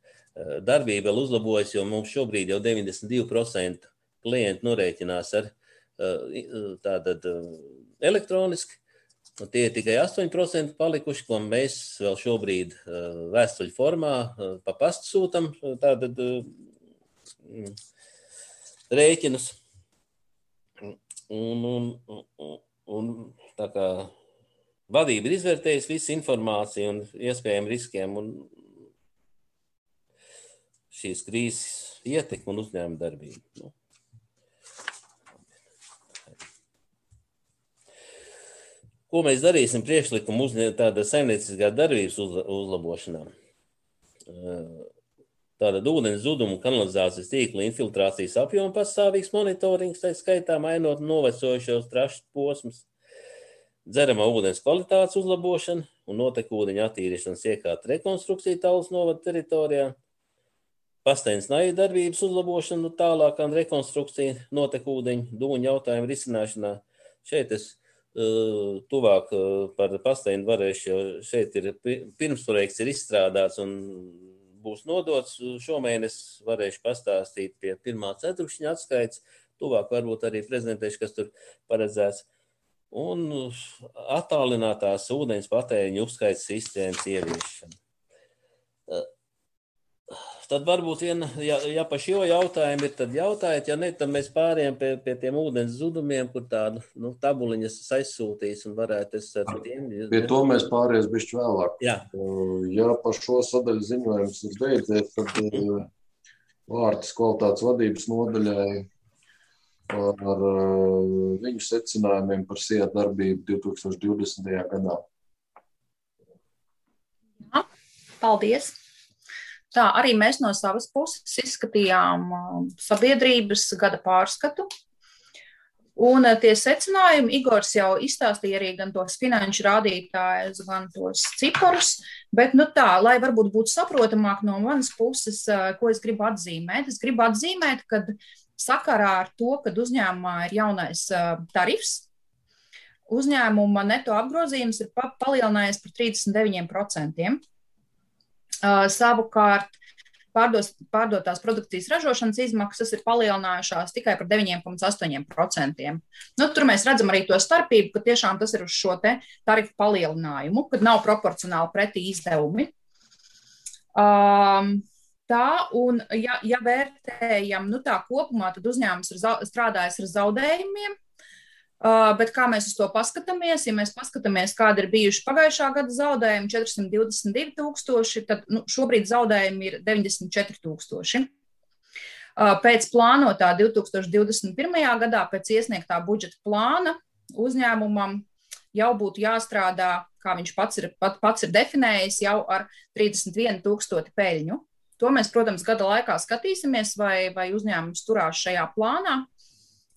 darbība vēl uzlabojas, jo mums šobrīd jau deviņdesmit divi procenti klienti norēķinās ar tātad elektroniski, un tie ir tikai astoņi procenti palikuši, ko mēs vēl šobrīd vēstuļu formā pa pastu sūtam tātad rēķinus. Un, un, un, un tā kā vadība ir izvērtējusi visu informāciju un iespējām riskiem un šīs krīzes ietekmi un uzņēmuma darbību. Nu. Ko mēs darīsim priekšlikumu uz tāda saimnieciskā darbības uzlabošanā? Tātad ūdens zudumu kanalizācijas tīkla infiltrācijas apjoma pastāvīgs monitorings, tā skaitā mainot novecojušos trašu posmus, dzeramā ūdens kvalitātes uzlabošana, un notekūdeņa attīrīšanas iekārtu rekonstrukciju Tallas novada teritorijā, Pastainas naja darbības uzlabošanu tālākā rekonstrukcija notekūdeņu dūņu jautājumu risināšanā. Šeit es uh, tuvāk uh, par Pastainu varēšu, jo šeit ir pirmsprojekts ir izstrādāts un būs nodots. Šomēnes varēšu pastāstīt pie pirmā ceturkšņa atskaits. Tuvāk varbūt arī prezentēšu, kas tur paredzēts. Un attālinātās ūdens patēriņu uzskaits sistēmas ieviešana. Uh, Tad varbūt viena, ja, ja pa šo jautājumu ir, tad jautājiet, ja ne, tad mēs pārējām pie, pie tiem ūdens zudumiem, kur tādu nu, tabuliņas aizsūtīs un varētu es ar tiem. Pie to mēs pārējās bišķi vēlāk. Jā. Ja pa šo sadaļu ziņojums ir beidzies, tad mm. vārds kvalitātes vadības nodaļai ar viņu secinājumiem par S I A darbību divi tūkstoši divdesmitajā gadā. Jā, paldies! Tā, arī mēs no savas puses izskatījām sabiedrības gada pārskatu. Un tie secinājumi, Igors jau izstāstīja arī gan tos finanšu rādītājus, gan tos ciparus, bet nu tā, lai varbūt būtu saprotamāk no manas puses, ko es gribu atzīmēt. Es gribu atzīmēt, ka sakarā ar to, kad uzņēmumā ir jaunais tarifs, uzņēmuma neto apgrozījums ir palielinājies par trīsdesmit deviņiem procentiem. Uh, savukārt pārdos, pārdotās produkcijas ražošanas izmaksas ir palielinājušās tikai par deviņi komats astoņi procenti. Nu, tur mēs redzam arī to starpību, ka tiešām tas ir uz šo te tarifu palielinājumu, kad nav proporcionāli pretī izdevumi. Um, tā, un ja, ja vērtējam, nu tā kopumā, tad uzņēmums ir za, strādājis ar zaudējumiem. Uh, bet kā mēs uz to paskatāmies, ja mēs paskatāmies, kāda ir bijuši pagājušā gada zaudējumi, četri simti divdesmit divi tūkstoši, tad nu, šobrīd zaudējumi ir deviņdesmit četri tūkstoši. Uh, pēc plānotā divi tūkstoši divdesmit pirmajā gadā, pēc iesniegtā budžeta plāna, uzņēmumam jau būtu jāstrādā, kā viņš pats ir, pat, pats ir definējis, jau ar trīsdesmit vienu tūkstoti peļņu. To mēs, protams, gada laikā skatīsimies, vai, vai uzņēmums turās šajā plānā.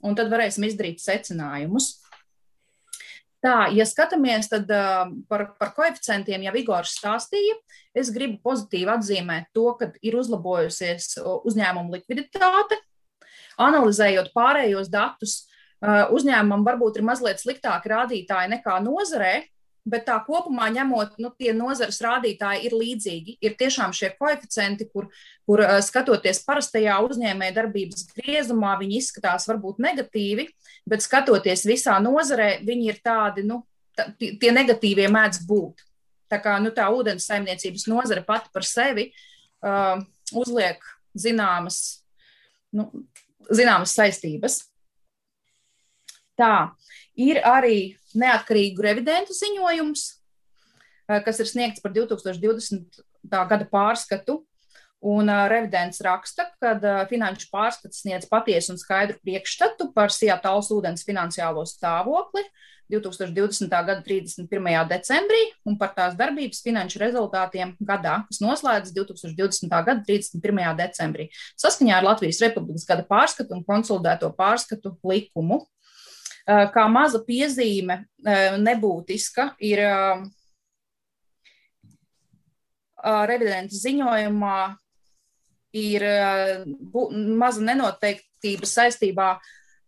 Un tad varēsim izdarīt secinājumus. Tā, ja skatāmies, tad uh, par, par koeficientiem jau Igors stāstīja. Es gribu pozitīvi atzīmēt to, ka ir uzlabojusies uzņēmuma likviditāte. Analizējot pārējos datus, uh, uzņēmumam varbūt ir mazliet sliktāki rādītāji nekā nozarē, bet tā kopumā ņemot, nu, tie nozares rādītāji ir līdzīgi. Ir tiešām šie koeficienti, kur, kur skatoties parastajā uzņēmēja darbības griezumā, viņi izskatās varbūt negatīvi, bet skatoties visā nozarē, viņi ir tādi, nu, tā, tie negatīvie mēdz būt. Tā kā, nu, tā ūdens saimniecības nozare pati par sevi uh, uzliek zināmas, nu, zināmas saistības. Tā, ir arī neatkarīgu revidentu ziņojums, kas ir sniegts par divi tūkstoši divdesmitā gada pārskatu, un revidents raksta, ka finanšu pārskats sniedz patiesu un skaidru priekšstatu par S I A Tallas ūdens finansiālo stāvokli divi tūkstoši divdesmitā gada trīsdesmit pirmajā decembrī un par tās darbības finanšu rezultātiem gadā, kas noslēdzas divi tūkstoši divdesmitā gada trīsdesmit pirmajā decembrī, saskaņā ar Latvijas Republikas gada pārskatu un konsolidēto pārskatu likumu. Kā maza piezīme nebūtiska ir revidenta ziņojumā ir maza nenoteiktības saistībā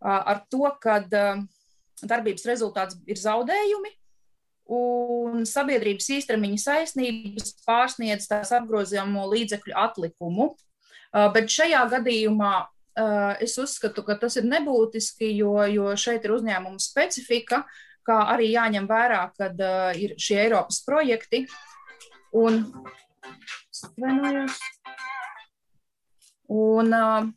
ar to, ka darbības rezultāts ir zaudējumi un sabiedrības īstermiņa saistības pārsniedz tās apgrozījamo līdzekļu atlikumu. Bet šajā gadījumā es uzskatu, ka tas ir nebūtiski, jo, jo šeit ir uzņēmuma specifika, kā arī jāņem vērā, kad uh, ir šie Eiropas projekti. Un, un uh,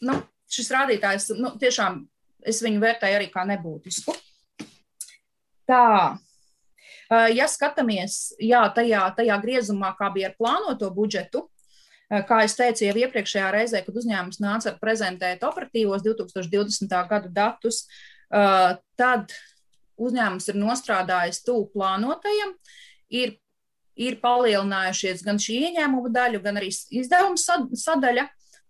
nu, šis rādītājs, nu, tiešām es viņu vērtēju arī kā nebūtisku. Tā, uh, ja skatāmies, jā, tajā, tajā griezumā, kā bija ar plānoto budžetu, kā es teicu jau iepriekšējā reizē, kad uzņēmums nāca prezentēt operatīvos divi tūkstoši divdesmitā gada datus, tad uzņēmums ir nostrādājis tuvu plānotajam, ir, ir palielinājušies gan šī ieņēmuma daļa, gan arī izdevuma sadaļa,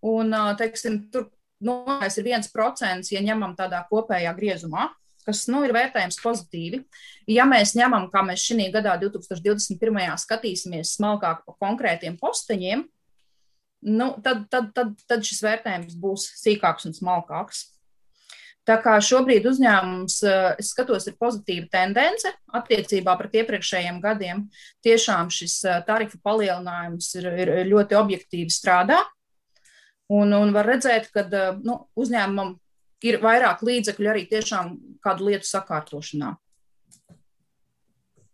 un, teiksim, tur nonāks ir viens procents, ja ņemam tādā kopējā griezumā. kas nu, ir vērtējams pozitīvi. Ja mēs ņemam, kā mēs šī gadā divi tūkstoši divdesmit pirmajā skatīsimies smalkāk pa konkrētiem posteņiem, nu, tad, tad, tad, tad šis vērtējums būs sīkāks un smalkāks. Tā kā šobrīd uzņēmums, es skatos, ir pozitīva tendence attiecībā pret iepriekšējiem gadiem. Tiešām šis tarifu palielinājums ir, ir ļoti objektīvi strādā. Un, un var redzēt, ka nu, uzņēmumam ir vairāk līdzekļu arī tiešām kādu lietu sakārtošanā.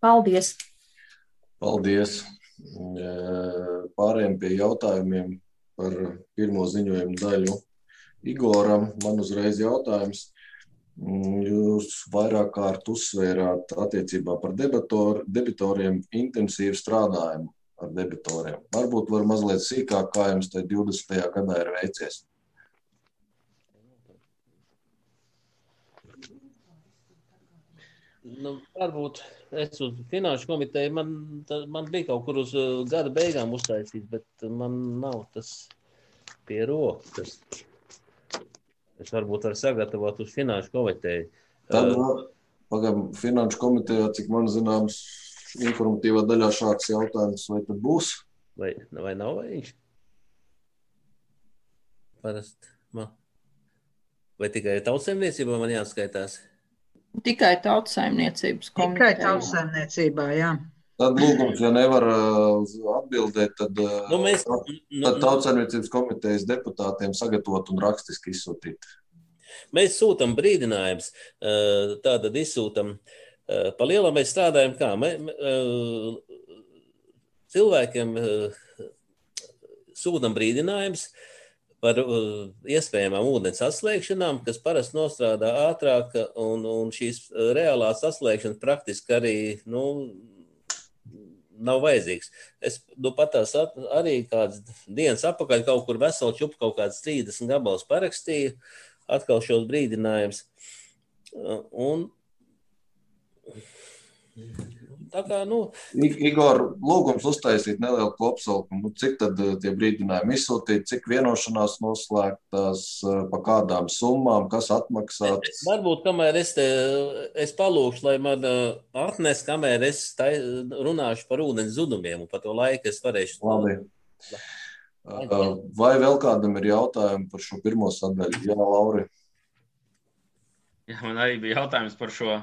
Paldies! Paldies! Pārējiem pie jautājumiem par pirmo ziņojumu daļu. Igoram, man uzreiz jautājums. Jūs vairāk kārt uzsvērāt attiecībā par debitor, debitoriem intensīvu strādājumu ar debitoriem. Varbūt var mazliet sīkāk, kā jums te divdesmitajā gadā ir veicies. Nu, varbūt es uz finanšu komiteju, man, man bija kaut kur uz gada beigām uztaisīts, bet man nav tas pie rokas. Es varbūt varu sagatavot uz finanšu komiteju. Tad, pagam, finanšu komitejā, cik man zināms, informatīvā daļā šāds jautājums, vai tad būs? Vai, vai nav viņš? Parasti man. Vai tikai tautsaimniecībā man jāskaitās? Tikai tautsaimniecības komitejā. Tikai tautsaimniecībā, jā. Tad lūgums, ja nevar atbildēt, tad, nu, mēs, tad tautsaimniecības komitejas deputātiem sagatavot un rakstiski izsūtīt. Mēs sūtam brīdinājums, tātad izsūtam, pa lielam mēs strādājam kā? Mē, cilvēkiem sūtam brīdinājums par iespējamām ūdens atslēgšanām, kas parasti nostrādā ātrāk, un, un šīs reālās atslēgšanas praktiski arī, nu, nav vajadzīgs. Es nu, pat tās arī kāds dienas apakaļ kaut kur veselu čupu kaut kāds trīsdesmit gabalus parakstīju, atkal šos brīdinājums. Un tā kā, nu... Igor, lūgums uztaisīt nelielu kopsalkumu. Cik tad tie brīdinājumi izsūtīt, cik vienošanās noslēgtās, pa kādām summām, kas atmaksāts? Varbūt, kamēr es te, es palūkšu, lai man atnes, kamēr es tai, runāšu par ūdens zudumiem, un pa to laiku es varēšu... Labi. Vai vēl kādam ir jautājumi par šo pirmo sadaļu? Jā, Lauri. Jā, man arī bija jautājums par šo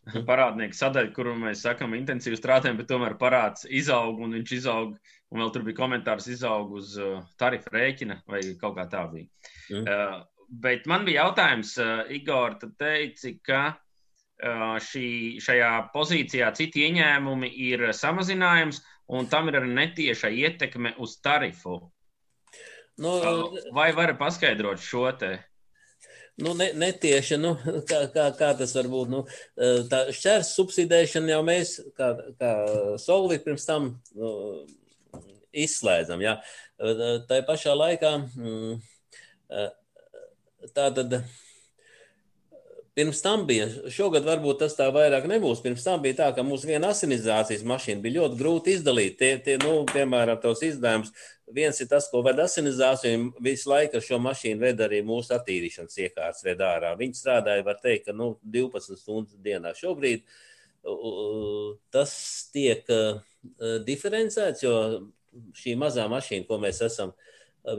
parādnieku sadaļu, kuru mēs sakam intensīvi strādājam, bet tomēr parāds izaug, un viņš izaug, un vēl tur bija komentārs izaug uz tarifu rēķina, vai kaut kā tā bija. Mm. Uh, bet man bija jautājums, uh, Igor, tu teici, ka uh, šī, šajā pozīcijā citi ieņēmumi ir samazinājums, un tam ir arī netieša ietekme uz tarifu. Nu, uh, vai vari paskaidrot šo te? Nu, ne, netieši, nu, kā, kā, kā tas var būt, nu, tā šķērs subsidēšana jau mēs, kā, kā Solvit pirms tam nu, izslēdzam, jā. Tā pašā laikā, tā tad, pirms tam bija, šogad varbūt tas tā vairāk nebūs, pirms tam bija tā, ka mūsu viena asinizācijas mašīna bija ļoti grūti izdalīt, tie, tie nu, piemēram, tos izdevums. Viens ir tas, ko ved asinizāciju, visu laiku ar šo mašīnu ved arī mūsu attīrīšanas iekārtas ved ārā. Viņi strādāja, var teikt, ka nu, divpadsmit stundas dienā. Šobrīd tas tiek diferencēts, jo šī mazā mašīna, ko mēs esam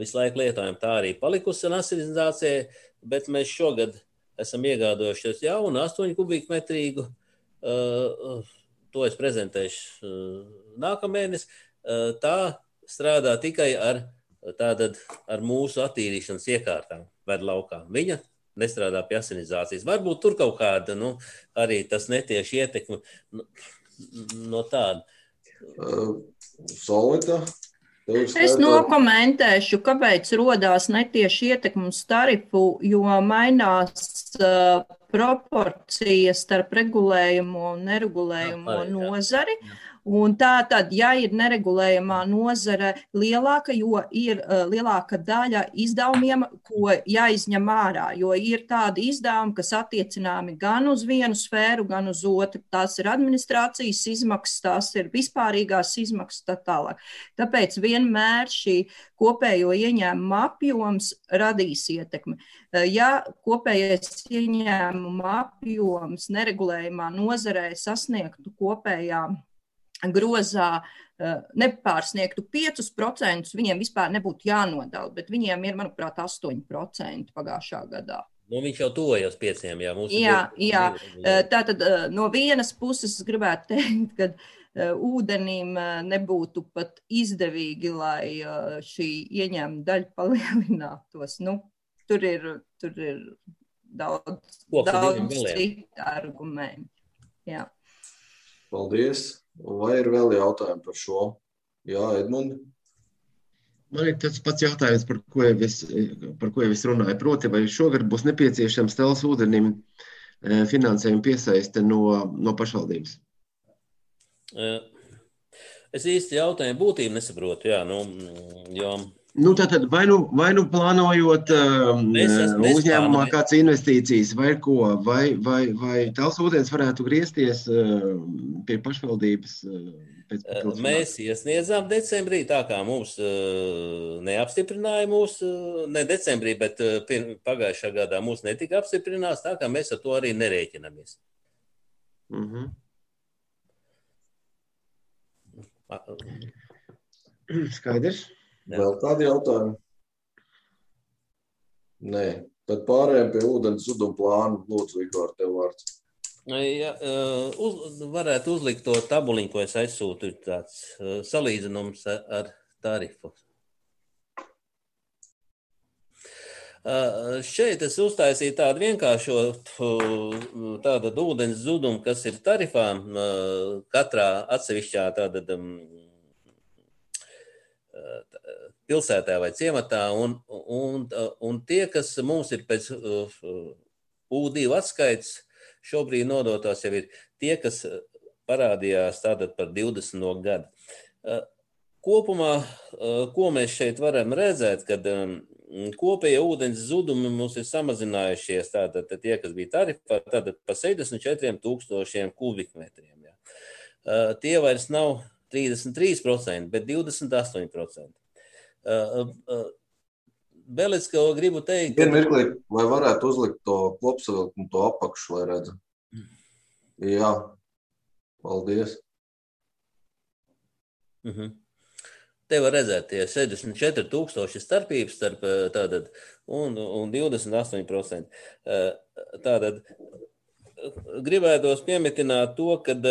visu laiku lietojam, tā arī palikusi ar asinizācijai, bet mēs šogad esam iegādojušies jaunu astoņu kubīkmetrīgu. To es prezentēšu nākamēnes. Tā strādā tikai ar, tātad, ar mūsu attīrīšanas iekārtām ved laukā. Viņa nestrādā pie asinizācijas. Varbūt tur kaut kāda, nu, arī tas netieši ietekmi no, no tāda. Uh, Solvita? Es nokomentēšu, kāpēc rodās netieši ietekmi uz tarifu, jo mainās uh, proporcijas starp regulējumu un neregulējumu nozari. Un tā tad, ja ir neregulējamā nozare lielāka, jo ir uh, lielāka daļa izdevumiem, ko jāizņem ārā, jo ir tādi izdevumi, kas attiecināmi gan uz vienu sfēru, gan uz otru. Tās ir administrācijas izmaksas, tās ir vispārīgās izmaksas, tā tālāk. Tāpēc vienmēr šī kopējo ieņēmuma apjoms radīs ietekmi. Ja kopējais ieņēmuma apjoms neregulējumā nozarē sasniegtu kopējā grozā, nepārsniegtu piecus procentus, viņiem vispār nebūtu jānodala, bet viņiem ir, manuprāt, astoņi procenti pagājušā gadā. Nu, viņš jau tojas pieciem, jā. Jā, jā. Tātad no vienas puses es gribētu teikt, ka ūdenim nebūtu pat izdevīgi, lai šī ieņēmuma daļa palielinātos. Nu, tur ir, tur ir daudz, daudz citu argumentu. Jā. Paldies. Vai ir vēl jautājumi par šo? Jā, Edmundi? Man ir tāds pats jautājums, par ko jau es, par ko jau es runāju. Proti, vai šogad būs nepieciešams Talsu ūdenim finansējumu piesaiste no, no pašvaldības? Es īsti jautājumu būtību nesaprotu, jā, nu, jo... Nu, tātad, vai nu, vai nu plānojot uh, uzņēmumā kāds investīcijas vai ko, vai, vai, vai Talsu ūdens varētu griezties uh, pie pašvaldības uh, pēc papildus? Mēs iesniedzām decembrī, tā kā mums uh, neapstiprināja mūs, uh, ne decembrī, bet uh, pagājušā gadā mūs netika apstiprinās, tā kā mēs ar to arī nerēķinamies. Uh-huh. Skaidrs. Vēl kādi jautājumi? Nē. Tad pārējām pie ūdens zuduma plāna. Lūdzu, Vigor, tev vārds. Ja, uz, varētu uzlikt to tabuliņu, ko es aizsūtu, tāds salīdzinums ar tarifu. Šeit es uztaisīju tādu vienkāršotu tādu ūdens zudumu, kas ir tarifām katrā atsevišķā tāda pilsētā vai ciematā, un, un, un tie, kas mums ir pēc U divi atskaits, šobrīd nodotās jau ir tie, kas parādījās tātad par divdesmito gadu. Kopumā, ko mēs šeit varam redzēt, kad kopējie ūdens zudumi mums ir samazinājušies, tātad tie, kas bija tarifā, tātad pa sešdesmit četriem tūkstošiem kubikmetriem. Jā. Tie vairs nav trīsdesmit trīs procenti, bet divdesmit astoņi procenti. Vēl es kaut gribu teikt... Vienu mirklī, vai varētu uzlikt to kopsavilkumu, to apakšu, lai redzu? Jā. Paldies. Uh-huh. Te var redzēt tie sešdesmit četri tūkstoši starpības starp tātad un, un divdesmit astoņi procenti. Tātad gribētos piemetināt to, kad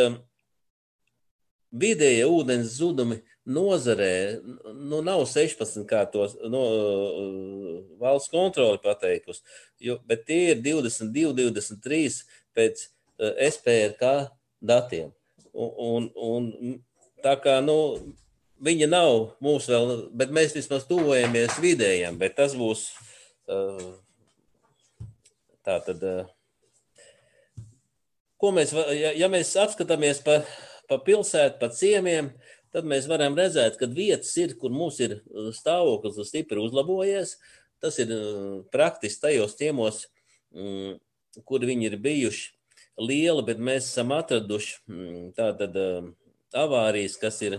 vidējie ūdens zudumi nozarē nu, nav sešpadsmit, kā tos no, valsts kontroli pateikusi, jo, bet tie ir divdesmit divi, divdesmit trīs pēc S P R K datiem. Un, un, un tā kā, nu, viņi nav mūs vēl, bet mēs vismaz tuvojamies vidējiem, bet tas būs tā tad, ko mēs, ja, ja mēs apskatāmies pa, pa pilsētu, pa ciemiem, tad mēs varam redzēt, ka vietas ir, kur mums ir stāvoklis stipri uzlabojies. Tas ir praktiski tajos ciemos, kur viņi ir bijuši lieli, bet mēs esam atraduši tātad avārijas, kas ir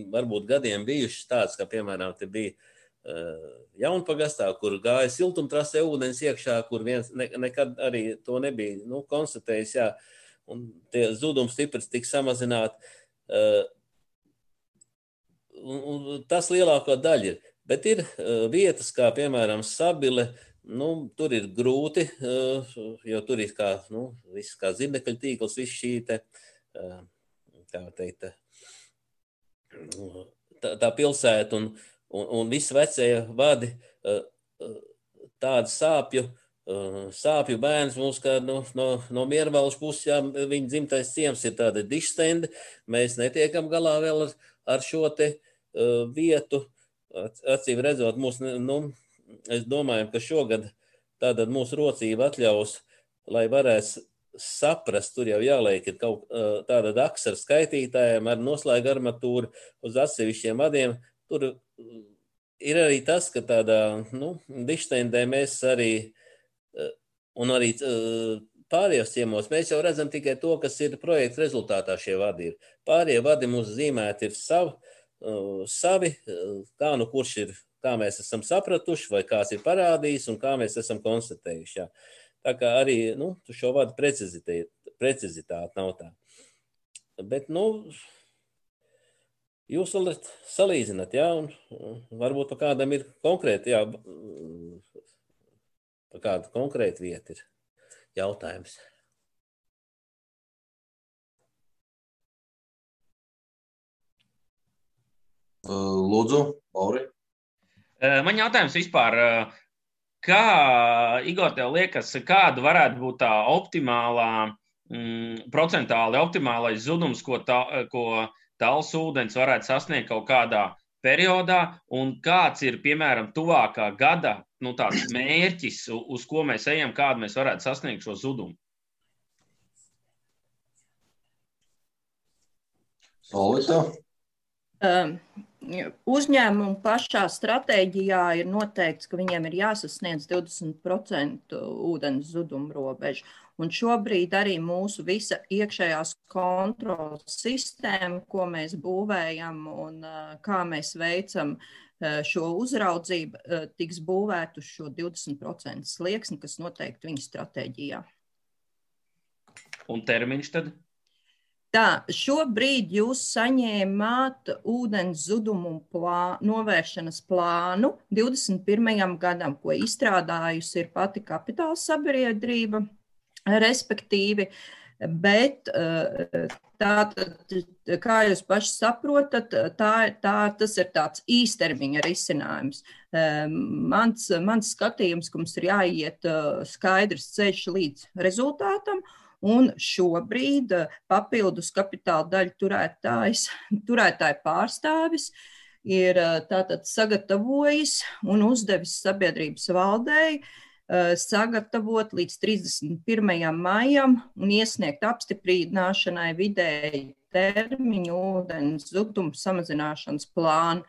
varbūt gadiem bijušas tāds, kā piemēram te bija Jaunpagastā, kur gāja siltumtrasē ūdens iekšā, kur viens ne, nekad arī to nebija nu, konstatējis, jā, un tie zudums stiprs tika samazināti. Un, un tas lielāko daļa ir. Bet ir uh, vietas, kā piemēram Sabile, nu, tur ir grūti, uh, jo tur ir kā, nu, viss kā zirnekļu tīkls, viss šī te, uh, tā teikt, tā, tā pilsēta un, un, un viss vecie vadi uh, tādu sāpju, uh, sāpju bērns mums, kā no, no, no Miervalžu puses, jā, viņa dzimtais ciems ir tāda dišstendi, mēs netiekam galā vēl ar, ar šo te vietu, acīm redzot, mūs, nu, es domāju, ka šogad tātad mūsu rocība atļaus, lai varēs saprast, tur jau jāliek ir kaut tāda daks ar skaitītājiem, ar noslēgu armatūru uz atsevišķiem vadiem. Tur ir arī tas, ka tādā, nu, dišteindē mēs arī, un arī pārējos ciemos, mēs jau redzam tikai to, kas ir projekta rezultātā šie vadi ir. Pārējie vadi mums zīmēti ir savi, savi, kā nu kurš ir, kā mēs esam sapratuši, vai kāds ir parādījis un kā mēs esam konstatējuši. Jā. Tā kā arī, nu, šo vadu precizitāte, precizitāte nav tā. Bet, nu, jūs varat salīdzināt, jā, un varbūt pa kādam ir konkrēti, jā, pa kādu konkrētu vietu ir jautājums. Lūdzu, Lauri. Man jautājums vispār, kā, Igor, tev liekas, kāda varētu būt tā optimālā, mm, procentāli optimālais zudums, ko, tā, ko Tallas ūdens varētu sasniegt kaut kādā periodā, un kāds ir, piemēram, tuvākā gada, nu, tāds mērķis, uz ko mēs ejam, kādu mēs varētu sasniegt šo zudumu? Solita? Um. Uzņēmumu pašā stratēģijā ir noteikts, ka viņiem ir jāsasniedz divdesmit procenti ūdens zuduma robežu. Un šobrīd arī mūsu visa iekšējās kontrolas sistēma, ko mēs būvējam un kā mēs veicam šo uzraudzību, tiks būvēt uz šo divdesmit procentu slieksni, kas noteikti viņa stratēģijā. Un termiņš tad? Tā, šobrīd jūs saņēmāt ūdens zudumu plā, novēršanas plānu divdesmit pirmajam gadam, ko izstrādājusi ir pati kapitāla sabiedrība, respektīvi, bet tātad, kā jūs paši saprotat, tā, tā, tas ir tāds īstermiņa risinājums. Mans, mans skatījums, ka mums ir jāiet skaidrs ceļš līdz rezultātam, un šobrīd papildus kapitāla daļu turētājs, turētāju pārstāvis ir tātad sagatavojis un uzdevis sabiedrības valdei sagatavot līdz trīsdesmit pirmajam maijam un iesniegt apstiprināšanai vidēji termiņu ūdens zudumu samazināšanas plānu,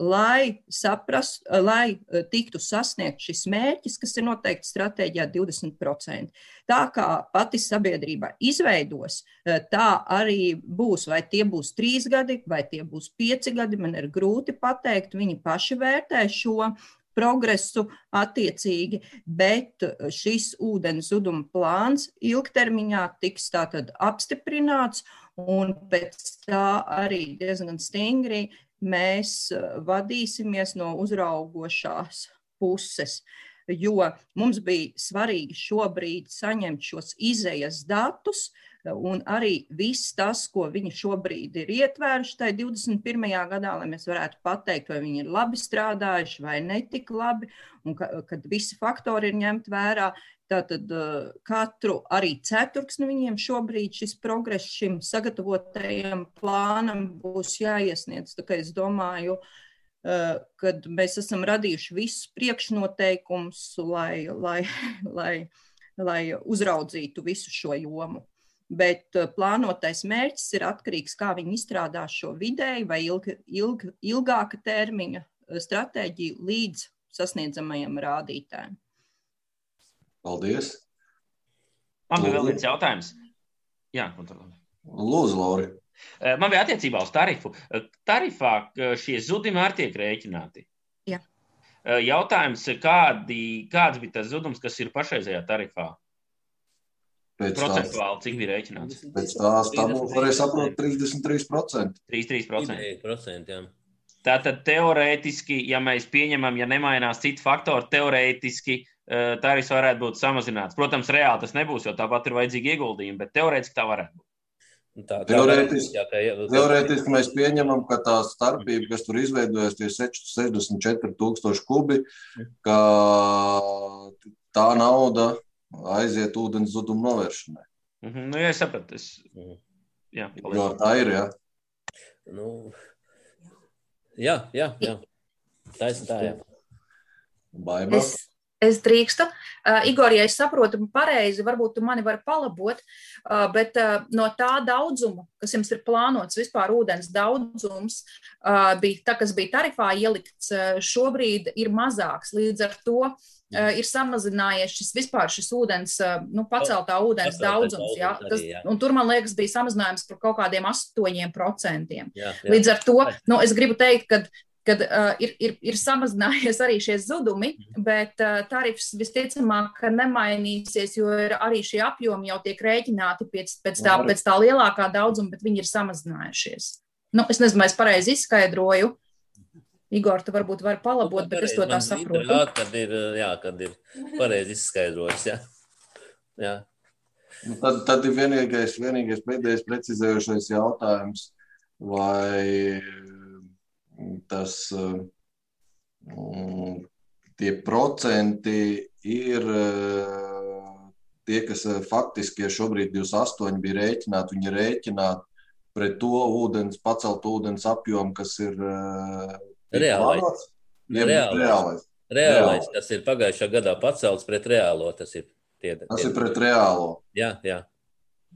lai saprast, lai tiktu sasniegt šis mērķis, kas ir noteikti stratēģijā divdesmit procenti. Tā kā pati sabiedrība izveidos, tā arī būs, vai tie būs trīs gadi, vai tie būs pieci gadi, man ir grūti pateikt, viņi paši vērtē šo progresu attiecīgi, bet šis ūdens zuduma plāns ilgtermiņā tiks tātad apstiprināts, un pēc tā arī diezgan stingri mēs vadīsimies no uzraugošās puses, jo mums bija svarīgi šobrīd saņemt šos izejas datus, un arī viss tas, ko viņi šobrīd ir ietvēruši tajā divdesmit pirmajā gadā, lai mēs varētu pateikt, vai viņi ir labi strādājuši vai netik labi, un ka, kad visi faktori ir ņemt vērā. Tātad katru arī ceturksni viņiem šobrīd šis progress šim sagatavotajam plānam būs jāiesniedz. Tā kā es domāju, kad mēs esam radījuši visus priekšnoteikumus, lai, lai, lai, lai uzraudzītu visu šo jomu. Bet plānotais mērķis ir atkarīgs, kā viņi izstrādās šo vidēju vai ilg, ilg, ilgāka termiņa stratēģiju līdz sasniedzamajam rādītājiem. Paldies. Man bija vēl viens jautājums. Jā, Lūdzu, Lauri. Man bija attiecībā uz tarifu. Tarifā šie zudumi arī tiek rēķināti. Jā. Jautājums, kādi, kāds bija tas zudums, kas ir pašreizējā tarifā? Pēc procentuāli, cik bija rēķināts? Pēc tās tabulas varēja saprot trīsdesmit trīs procenti. trīsdesmit trīs procenti, jā. Tātad teorētiski, ja mēs pieņemam, ja nemainās citu faktoru, teorētiski tarifs varētu būt samazināts. Protams, reāli tas nebūs, jo tāpat ir vajadzīgi ieguldījumi, bet teorētiski tā varētu būt. Tā, tā teorētiski, jā, jā, teorētiski mēs pieņemam, ka tā starpība, kas tur izveidojas, tie sešdesmit četri tūkstoši kubi, ka tā nauda aiziet ūdens zudumu novēršanai. Mm-hmm. Nu, jā, es sapratu. Es... Jā, jo tā ir, jā. Nu, jā, jā, jā. Tā ir tā, jā. Baiba. Es, Es drīkstu. Uh, Igor, ja es saprotu pareizi, varbūt tu mani vari palabot, uh, bet uh, no tā daudzuma, kas jums ir plānots, vispār ūdens daudzums, uh, bija, tā, kas bija tarifā ielikts, uh, šobrīd ir mazāks. Līdz ar to uh, ir samazinājies šis vispār šis ūdens, uh, nu, paceltā ūdens daudzums. Jā? Tas, un tur, man liekas, bija samazinājums par kaut kādiem astoņiem procentiem. Jā, jā. Līdz ar to, nu, es gribu teikt, ka kad uh, ir, ir, ir samazinājies arī šie zudumi, bet uh, tarifs visticamāk nemainīsies, jo ir arī šie apjomi jau tiek rēķināti pēc, pēc, tā, pēc tā lielākā daudzuma, bet viņi ir samazinājušies. Nu, es nezinu, vai es pareizi izskaidroju. Igor, tu varbūt vari palabot, bet es to tā saprotu. Jā, kad ir, jā, kad ir pareizi izskaidrojis, jā. jā. Nu, tad, tad ir vienīgais, vienīgais pēdējais precizējošais jautājums, vai tas tie procenti ir tie, kas faktiski, ja šobrīd divdesmit astoņi bija rēķināti, viņi rēķināti pret to ūdens, pacelt ūdens apjomu, kas ir reālais. Reālais. Reālais. Reālais, kas ir pagājušā gadā pacelts pret reālo, tas ir tie. Tas tie. Ir pret reālo. Jā, jā.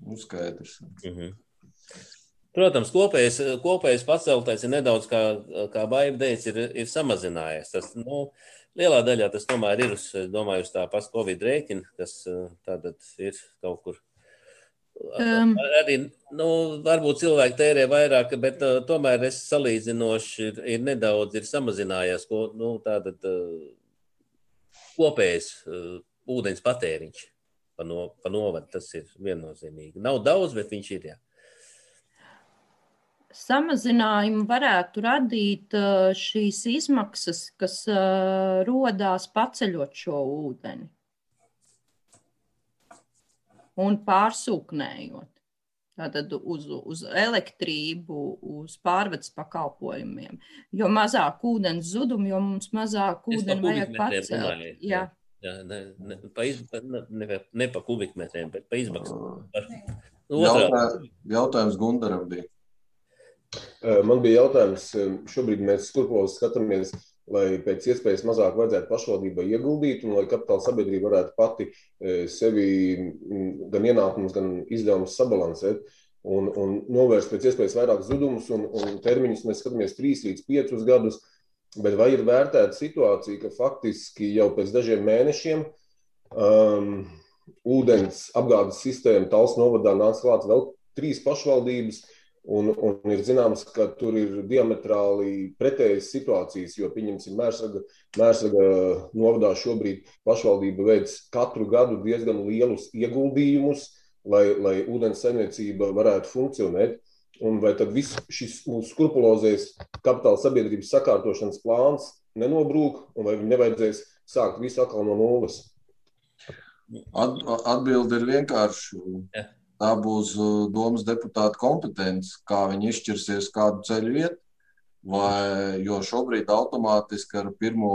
Nu, skaidrs. Mhm. Protams, kopējais, kopējais paceltais ir nedaudz, kā, kā Baiba teica, ir, ir samazinājies. Tas, nu, lielā daļā tas tomēr ir, es domāju, uz tā pas Covid rēķina, kas tātad ir kaut kur. Um. Arī, nu, varbūt cilvēki tērē vairāk, bet uh, tomēr es salīdzinoši ir, ir nedaudz ir samazinājies, ko, nu, tātad uh, kopējais uh, ūdens patēriņš pa, no, pa novadu, tas ir viennozīmīgi. Nav daudz, bet viņš ir, jā. Samazinājumu varētu radīt šīs izmaksas, kas rodās paceļot šo ūdeni un pārsūknējot. Tātad uz, uz elektrību, uz pārvades pakalpojumiem. Jo mazāk ūdens zudum, jo mums mazāk ūdeni vajag pacelt. Jā. Jā, ne, ne, pa iz, ne, ne, ne pa kubikmetriem, bet pa izmaksām. Jautā, jautājums Gundaram bija. Man bija jautājums, šobrīd mēs skurpulozi skatāmies, lai pēc iespējas mazāk vajadzētu pašvaldībai ieguldīt un lai kapitāla sabiedrība varētu pati sevi gan ienākumus, gan izdevumus sabalansēt un, un novērst pēc iespējas vairāk zudumus un, un termiņus mēs skatāmies trīs līdz piecus gadus, bet vai ir vērtēta situācija, ka faktiski jau pēc dažiem mēnešiem um, ūdens apgādes sistēma Talsu novadā nāks klāt vēl trīs pašvaldības, Un, un ir zināms, ka tur ir diametrāli pretējas situācijas, jo, pieņemsim, Mērsraga, Mērsraga novadā šobrīd pašvaldība veic katru gadu diezgan lielus ieguldījumus, lai, lai ūdens saimniecība varētu funkcionēt. Un vai tad viss šis mūsu skrupulozais kapitāla sabiedrības sakārtošanas plāns nenobrūk, un vai viņi nevajadzēs sākt visu atkal no nulles? At, atbilde ir vienkārši. Ja. Tā būs domas deputāta kompetence, kā viņi izšķirsies kādu ceļu iet, vai, jo šobrīd automātiski ar pirmo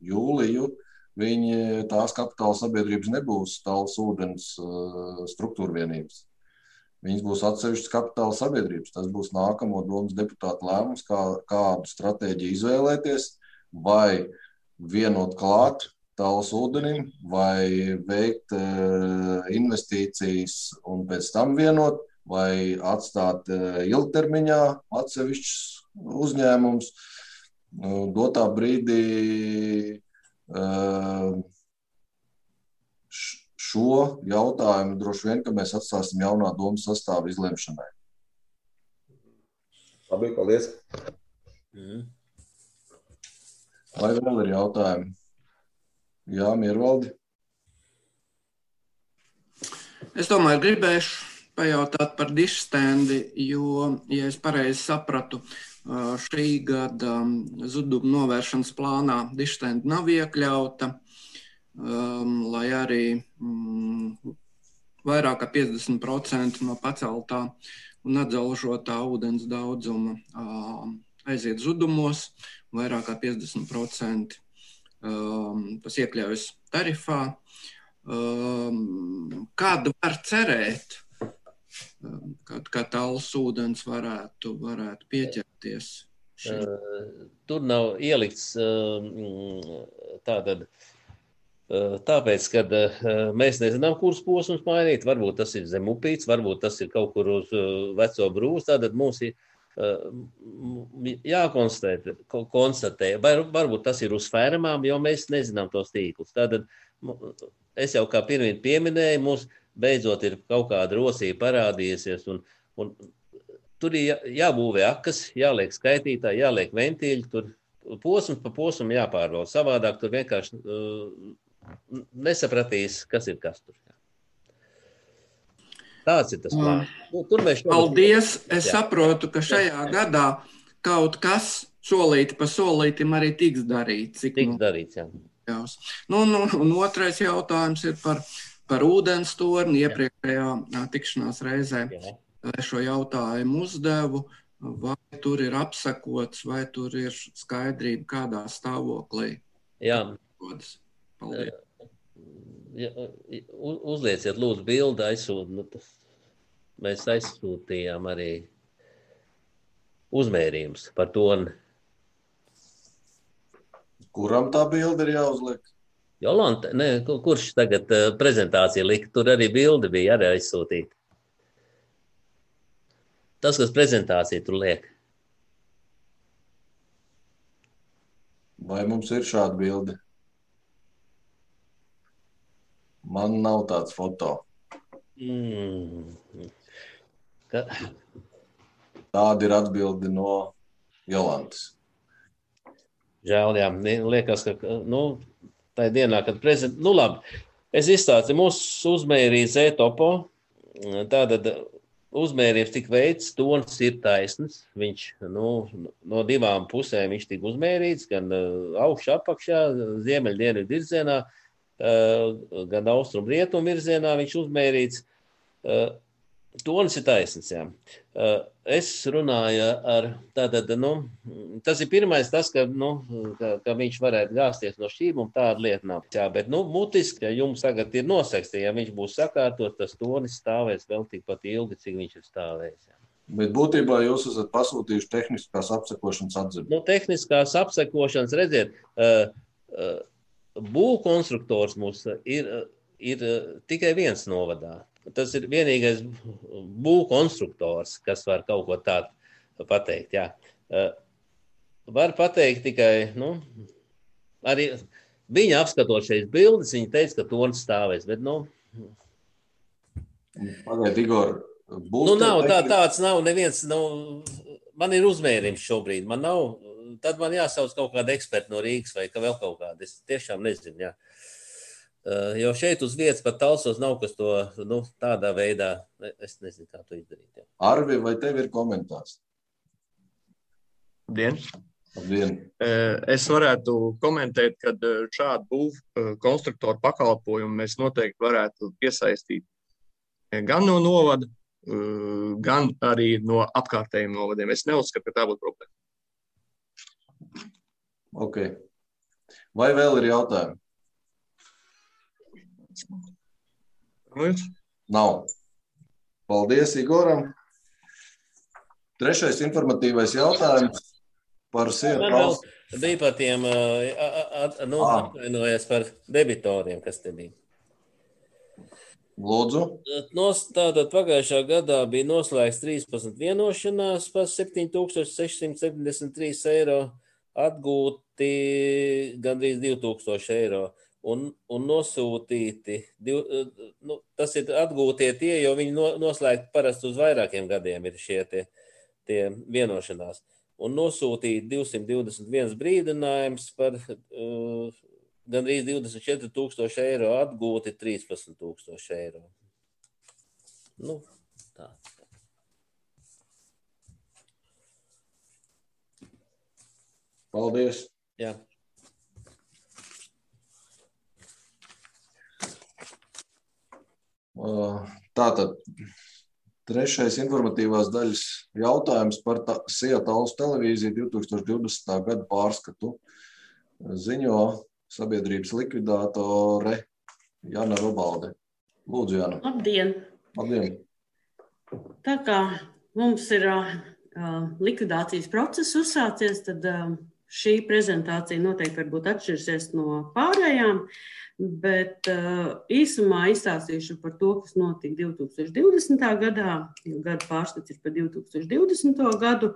jūliju viņi tās kapitāla sabiedrības nebūs Talsu ūdens struktūra vienības. Viņas būs atsevišķas kapitāla sabiedrības. Tas būs nākamo domas deputāta lēmums, kā, kādu stratēģiju izvēlēties, vai vienot klāt Talsu ūdenim, vai veikt uh, investīcijas un pēc tam vienot, vai atstāt uh, ilgtermiņā atsevišķus uzņēmumus. Uh, dotā brīdī uh, šo jautājumu droši vien, ka mēs atstāsim jaunā domas sastāvu izlemšanai. Labi, paldies. Mm. Vai vēl ir jautājumi? Jā, Miervaldi. Es domāju, gribēšu pajautāt par dišstendi, jo, ja es pareizi sapratu, šī gada zudumu novēršanas plānā dišstendi nav iekļauta, lai arī vairāk kā piecdesmit procenti no paceltā un atdzelžotā ūdens daudzuma aiziet zudumos, vairāk kā piecdesmit procenti Um, tas iekļaujas tarifā. Um, kādu var cerēt, um, kad, kad Talsu ūdens varētu, varētu pieķerties Tur nav ielikts tātad, tāpēc, kad mēs nezinām, kuras posms mainīt, varbūt tas ir zem upīts, varbūt tas ir kaut kur uz veco brūs, tātad mums ir jākonstatē, konstatē, vai varbūt tas ir uz fermām, jo mēs nezinām tos tīklus. Tātad es jau kā pirmīt pieminēju, mums beidzot ir kaut kāda rosība parādījusies, un, un tur ir jābūvē akas, jāliek skaitītāji, jāliek ventīļi, tur posms pa posmu jāpārbauda. Savādāk tur vienkārši uh, nesapratīs, kas ir kas tur. Tāds ir tas plāns. Nu, tur mēs Paldies! Es jā. saprotu, ka šajā gadā kaut kas solīti pa solītim arī tiks darīts. Cik tiks nu... darīts, jā. Nu, nu, un otrais jautājums ir par, par ūdens torni. Iepriekšējā tikšanās reizē Jā. šo jautājumu uzdevu, vai tur ir apsakots, vai tur ir skaidrība, kādā stāvoklī. Jā. Paldies. Ja, uzlieciet lūdzu bildi, aizsūt, nu, mēs aizsūtījām arī uzmērījums par torni. Kuram tā bilde ir jāuzliek? Jolanta, ne, kurš tagad uh, prezentācija lika, tur arī bilde bija arī aizsūtīta. Tas, kas prezentācija tur liek. Vai mums ir šāda bilde? Man nav tāds foto. Mm. Ka... Tāda ir atbilde no Jolantas. Žēl, jā, liekas, ka, nu, tā dienā, kad prezent... Nu, labi, es izstāstu, mūsu uzmērīts e-topo, tātad uzmērījums tik veids, tons ir taisns, viņš, nu, no divām pusēm viņš tik uzmērīts, gan augšā, apakšā, ziemeļdienu virzienā, gan austrumu rietumu virzienā viņš uzmērīts. Tonis ir taisns, jā. Es runāju ar, tātad, nu, tas ir pirmais tas, ka, nu, ka, ka viņš varētu gāsties no šķīm, un tāda lieta nav. Jā, bet, nu, mutiski, ja jums tagad ir nosekts, ja viņš būs sakārtot, tas tonis stāvēs vēl tikpat ilgi, cik viņš ir stāvējis. Jā. Bet būtībā jūs esat pasūtījuši tehniskās apsekošanas atzīmi. Nu, tehniskās apsekošanas, redziet, būvkonstruktors mums ir, ir tikai viens novadā. Tas ir vienīgais būvkonstruktors, kas var kaut ko tādu pateikt. Jā. Var pateikt tikai, nu, arī viņa apskatot šeit bildes, viņa teica, ka tonis stāvēs, bet, nu... Pagaid, Igor, būs... Nu, nav, tā, tāds nav neviens, nu, man ir uzmērījums šobrīd, man nav, tad man jāsauc kaut kāda eksperta no Rīgas vai ka vēl kaut kāda, es tiešām nezinu, jā. Uh, jo šeit uz vietas pat Talsos nav, kas to, nu, tādā veidā, es nezinu, kā to izdarīt. Jā. Arvi, vai tev ir komentārs? Labdien. Labdien. Es varētu komentēt, ka šādu būvu konstruktoru pakalpojumu mēs noteikti varētu piesaistīt gan no novada, gan arī no apkārtējiem novadiem. Es neuzskatu, ka tā būtu problēma. Ok. Vai vēl ir jautājumi? Nav. Paldies Igoram. Trešais informatīvais jautājums par Sievu. Bija par tiem, nu, atvainojies par debitoriem, kas te bija. Lūdzu. Nos, tātad pagājušā gadā bija noslēgts trīspadsmit vienošanās par septiņi tūkstoši sešsimt septiņdesmit trīs eiro, atgūti gandrīz divi tūkstoši eiro. Un, un nosūtīti, div, nu, tas ir atgūtie tie, jo viņi no, noslēgti parasti uz vairākiem gadiem ir šie tie, tie vienošanās. Un nosūtīti divsimt divdesmit viens brīdinājums par uh, gandrīz divdesmit četri tūkstoši eiro, atgūti trīspadsmit tūkstoši eiro. Nu, tā. Paldies. Jā. Tātad trešais informatīvās daļas jautājums par Sija Talsu televīziju divi tūkstoši divdesmitā gada pārskatu ziņo sabiedrības likvidātore Jana Robalde. Lūdzu, Jana. Labdien! Labdien! Tā kā mums ir likvidācijas process uzsācies, tad šī prezentācija noteikti varbūt atšķirsies no pārējām, bet īsumā izstāstīšu par to, kas notika divi tūkstoši divdesmitā gadā, jo gada pārskats ir par divi tūkstoši divdesmito gadu,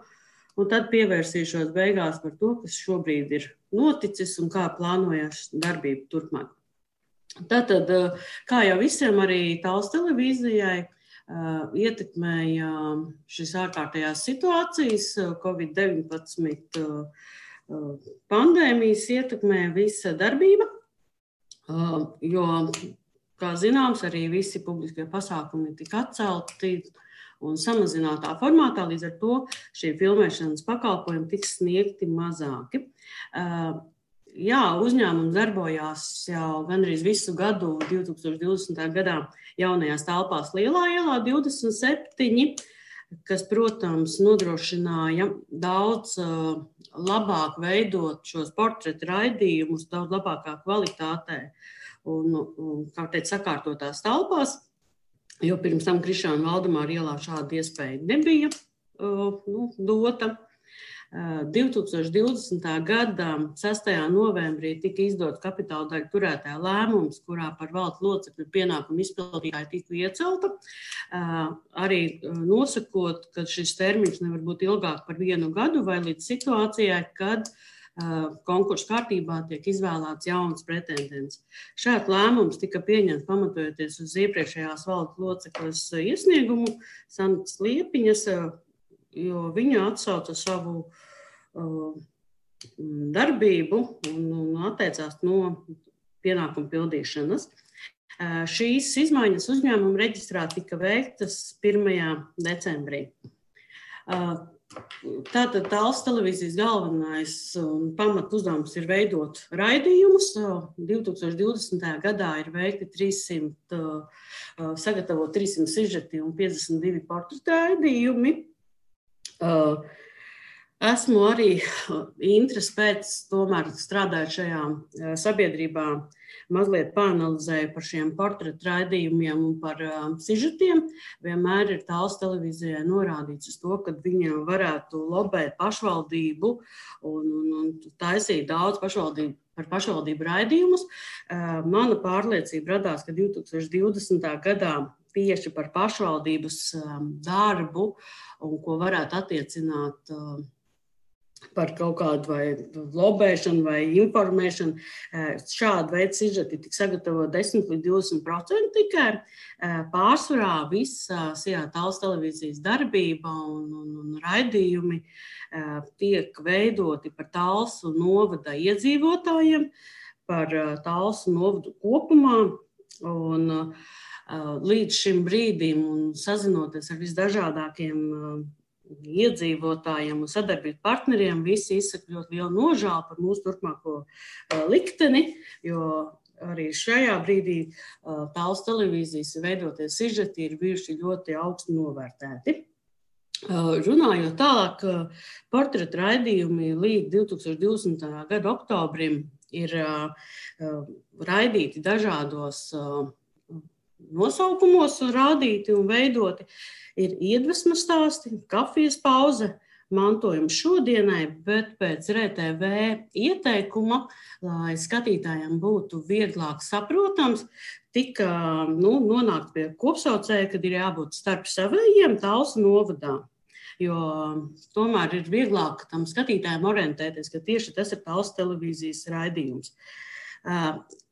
un tad pievērsīšos beigās par to, kas šobrīd ir noticis un kā plānojas darbība turpmāk. Tātad, kā jau visiem, arī Tallas televīzijai ietekmēja šis ārkārtējās situācijas, covid deviņpadsmit pandēmijas ietekmē visa darbība, jo, kā zināms, arī visi publiskie pasākumi tika atcelti un samazinātā formātā, līdz ar to šie filmēšanas pakalpojumi tiks sniegti mazāki. Jā, uzņēmums darbojās jau gandrīz visu gadu divi tūkstoši divdesmitā gadā jaunajās telpās Lielā ielā divdesmit septiņi, kas, protams, nodrošināja daudz uh, labāk veidot šos portretu raidījumus, daudz labākā kvalitātē un, un kā teikt, sakārtotās telpās, jo pirms tam Krišāna Valdemāra ielā šāda iespēja nebija uh, nu, dota. divi tūkstoši divdesmitā gada sestajā novembrī tika izdots kapitāla daļu turētāja lēmums, kurā par valdes locekļu pienākumu izpildītāju tika iecelta, arī nosakot, ka šis termiņš nevar būt ilgāk par vienu gadu vai līdz situācijai, kad konkursu kārtībā tiek izvēlēts jauns pretendents. Šāds lēmums tika pieņemts pamatojoties uz iepriekšējās valdes locekles iesniegumu Santas Liepiņas, jo viņa atsauca savu uh, darbību un, un atteicās no pienākumu pildīšanas. Uh, šīs izmaiņas uzņēmuma reģistrā tika veiktas pirmajā decembrī. Uh, tātad Tallas televīzijas galvenais un pamat uzdevums ir veidot raidījumus. Uh, divi tūkstoši divdesmitajā gadā ir veikti trīssimt, uh, sagatavot trīssimt sižeti un piecdesmit divi portretu raidījumi. Uh, esmu arī interesi pēc, tomēr strādājot šajā uh, sabiedrībā, mazliet pāanalizēju par šiem portretu raidījumiem un par uh, sižetiem. Vienmēr ir Tallas televīzijai norādīts uz to, ka viņi varētu lobēt pašvaldību un, un, un taisīt daudz pašvaldību par pašvaldību raidījumus. Uh, mana pārliecība radās, ka divi tūkstoši divdesmitā gadā tieši par pašvaldības um, darbu un ko varētu attiecināt uh, par kaut kādu vai lobēšanu vai informēšanu. Uh, šādu veidu sižeti tika sagatavot desmit līdz divdesmit procenti tikai. Uh, pārsvarā visas jā, Tallas televīzijas darbība un, un, un raidījumi uh, tiek veidoti par Tallas novada iedzīvotājiem, par uh, Tallas novadu kopumā. Un, uh, Līdz šim brīdim un sazinoties ar visdažādākiem iedzīvotājiem un sadarbības partneriem, visi izsaka ļoti lielu nožēlu par mūsu turpmāko likteni, jo arī šajā brīdī Tallas televīzijas veidotie sižeti ir bijuši ļoti augsti novērtēti. Runājot tālāk, portretu raidījumi līdz divi tūkstoši divdesmitā gada oktobrim ir raidīti dažādos nosaukumos rādīti un veidoti. Ir iedvesmas stāsti, kafijas pauze, mantojums šodienai, bet pēc R T V ieteikuma, lai skatītājiem būtu vieglāk saprotams, tika nu, nonākt pie kopsaucēja, kad ir jābūt starp savējiem Tallas novadā. Jo tomēr ir vieglāk tam skatītājiem orientēties, ka tieši tas ir Tallas televīzijas raidījums.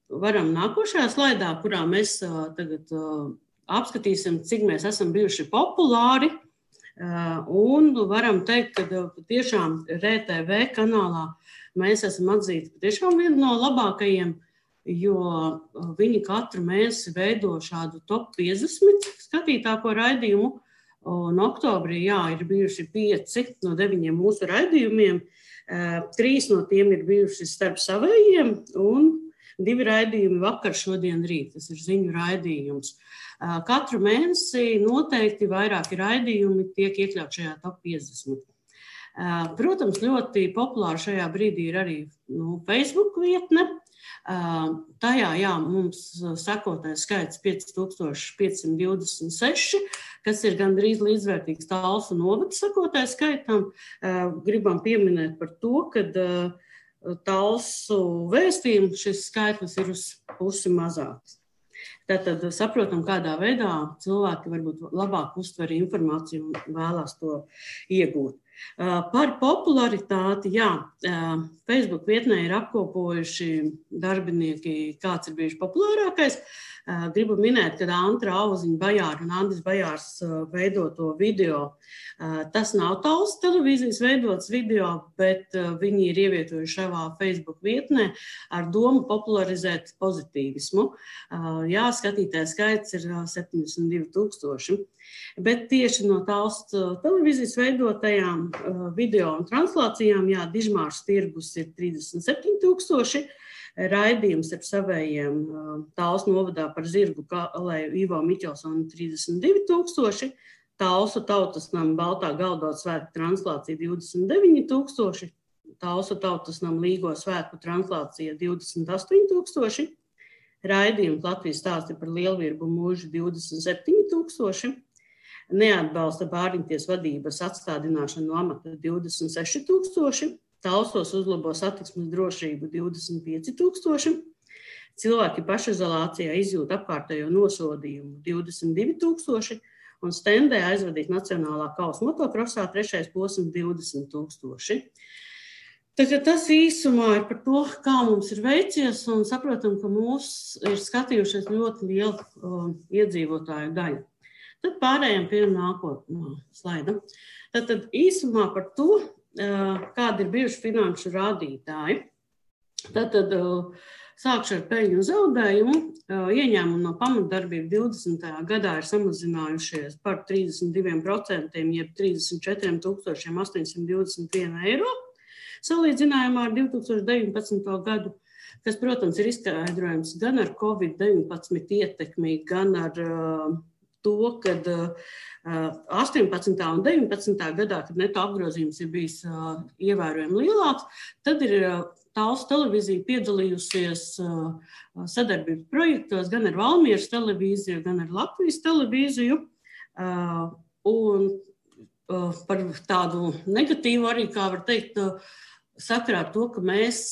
Varam nākošajā slaidā, kurā mēs uh, tagad uh, apskatīsim, cik mēs esam bijuši populāri, uh, un varam teikt, ka uh, tiešām R T V kanālā mēs esam atzīti tiešām vienu no labākajiem, jo uh, viņi katru mēnesi veido šādu top piecdesmit skatītāko raidījumu, un oktobrī, jā, ir bijuši pieci no deviņiem mūsu raidījumiem, uh, trīs no tiem ir bijuši starp savējiem, un divi raidījumi vakar, šodien, rīt. Tas ir ziņu raidījums. Katru mēnesi noteikti vairāki raidījumi tiek iekļaut šajā top piecdesmit. Protams, ļoti populāri šajā brīdī ir arī nu, Facebook vietne, Tajā, jā, mums sekotais skaits pieci tūkstoši piecsimt divdesmit seši, kas ir gandrīz līdzvērtīgs Talsu novada sekotais skaitam. Gribam pieminēt par to, ka Talsu vēstījumu šis skaitlis ir uz pusi mazāks. Tātad saprotam, kādā veidā cilvēki varbūt labāk uztver informāciju un vēlās to iegūt. Par popularitāti, jā, Facebook vietnē ir apkopojuši darbinieki, kāds ir bijuši populārākais. Gribu minēt, ka Antra Auziņa Bajāra un Andris Bajārs veidoto video. Tas nav Talsu televīzijas veidots video, bet viņi ir ievietojuši savā Facebook vietnē ar domu popularizēt pozitīvismu. Jā, skatītāju skaits ir septiņdesmit divi tūkstoši. Bet tieši no Talsu televīzijas veidotajām video un translācijām, jā, Dižmārs tirgus ir trīsdesmit septiņi tūkstoši, raidījums ar savējiem Talsu novadā par zirgu kalēju Ivo Miķelsonu trīsdesmit divi tūkstoši, Talsu tautas nama Baltā galdot svētku translācija divdesmit deviņi tūkstoši, Talsu tautas nama Līgo svētku translācija divdesmit astoņi tūkstoši, raidījums Latvijas stāsti par lielvirbu mūžu divdesmit septiņi tūkstoši, neatbalsta Bāriņties vadības atstādināšanu no amata divdesmit seši tūkstoši, Talsos uzlabo satiksmes drošību divdesmit pieci tūkstoši, cilvēki pašizolācijā izjūt apkārtējo nosodījumu divdesmit divi tūkstoši un stendē aizvadīt Nacionālā kausa motokrosā trešais posms divdesmit tūkstoši. Tagad tas īsumā ir par to, kā mums ir veicies, un saprotam, ka mūs ir skatījušies ļoti liela uh, iedzīvotāju daļa. Tad pārējām pie nākotnā slaida. Tad, tad īsumā par to, kādi ir bijuši finanšu rādītāji. Tātad sākšu ar peļņu un zaudējumu. Ieņēmumi no pamatdarbību divdesmitajā gadā ir samazinājušies par trīsdesmit diviem procentiem, jeb trīsdesmit četriem tūkstošiem astoņsimt divdesmit vienu eiro, salīdzinājumā ar divi tūkstoši deviņpadsmito gadu, kas, protams, ir izskaidrojams gan ar covid deviņpadsmit ietekmi, gan ar to, kad astoņpadsmitā un deviņpadsmitā gadā, kad neto apgrozījums ir bijis ievērojami lielāks, tad ir Talsu televīzija piedalījusies sadarbības projektos gan ar Valmieras televīziju, gan ar Latvijas televīziju. Un par tādu negatīvu arī, kā var teikt, sakarā ar to, ka mēs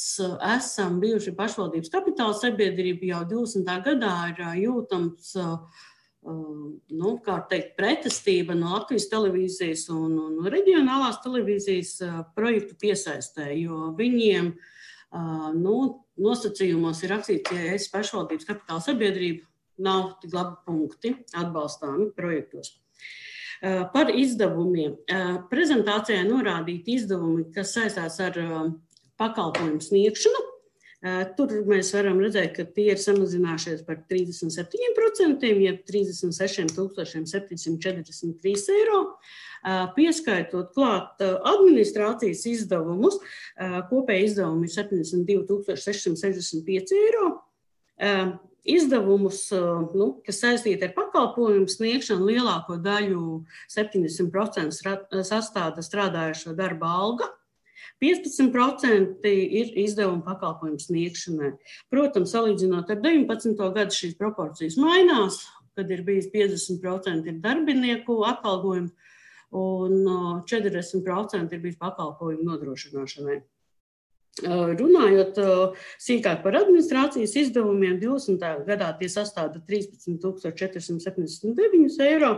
esam bijuši pašvaldības kapitāla sabiedrība jau divdesmitā gadā ir jūtams nu, kā teikt, pretestība no Latvijas televīzijas un, un reģionālās televīzijas projektu piesaistē, jo viņiem nu, nosacījumos ir rakstīts, ja esi pašvaldības kapitāla sabiedrība, nav tik labi punkti atbalstāmi projektos. Par izdevumiem. Prezentācijā norādīti izdevumi, kas saistās ar pakalpojumu sniegšanu. Tur mēs varam redzēt, ka tie ir samazinājušies par trīsdesmit septiņiem procentiem, jeb trīsdesmit sešiem tūkstošiem septiņsimt četrdesmit trīs eiro, pieskaitot klāt administrācijas izdevumus, kopēji izdevumi ir septiņdesmit divi tūkstoši sešsimt sešdesmit pieci eiro. Izdevumus, nu, kas saistīti ar pakalpojumu sniegšanu, lielāko daļu septiņdesmit procenti sastāda strādājošo darba alga. piecpadsmit procenti ir izdevumi pakalpojumu sniegšanai. Protams, salīdzinot ar deviņpadsmito gadu šīs proporcijas mainās, kad ir bijis piecdesmit procenti ir darbinieku atalgojumi un četrdesmit procenti ir bijis pakalpojumu nodrošināšanai. Runājot sīkāk par administrācijas izdevumiem, divdesmitajā gadā tie sastāda trīspadsmit tūkstoši četrsimt septiņdesmit deviņi eiro,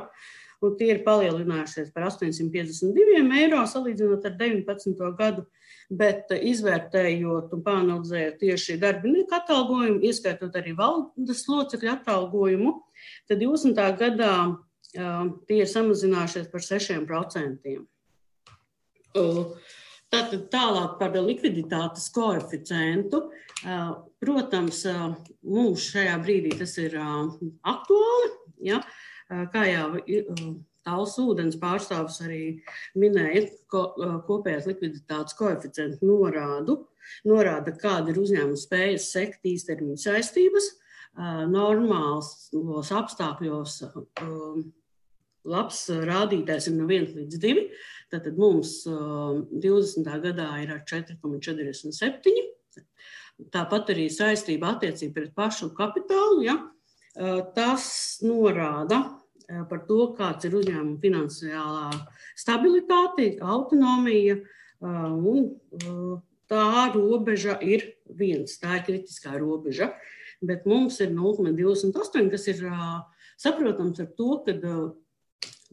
un tie ir palielinājušies par astoņsimt piecdesmit divi eiro, salīdzinot ar deviņpadsmito gadu, bet izvērtējot un pāanalizējot tieši darbinieku atalgojumu, ieskaitot arī valdes locekļu atalgojumu, tad divdesmitā gadā tie ir samazinājušies par sešiem procentiem. Tātad tālāk par likviditātes koeficientu. Protams, mums šajā brīdī tas ir aktuāli, ja? Kā jau Talsu ūdens pārstāvis arī minēja, ko, kopējās likviditātes koeficientu norādu, norāda, kāda ir uzņēmuma spējas sekt īstermiņa saistības, normālos apstākļos labs rādītājs ir no viens līdz divi, tātad mums divdesmitā gadā ir ar četri komats četrdesmit septiņi Tāpat arī saistība attiecība pret pašu kapitālu, ja, tas norāda par to, kāds ir uzņēmuma finansiālā stabilitāte, autonomija, un tā robeža ir viens, tā ir kritiskā robeža, bet mums ir nulle komats divdesmit astoņi, kas ir saprotams ar to, ka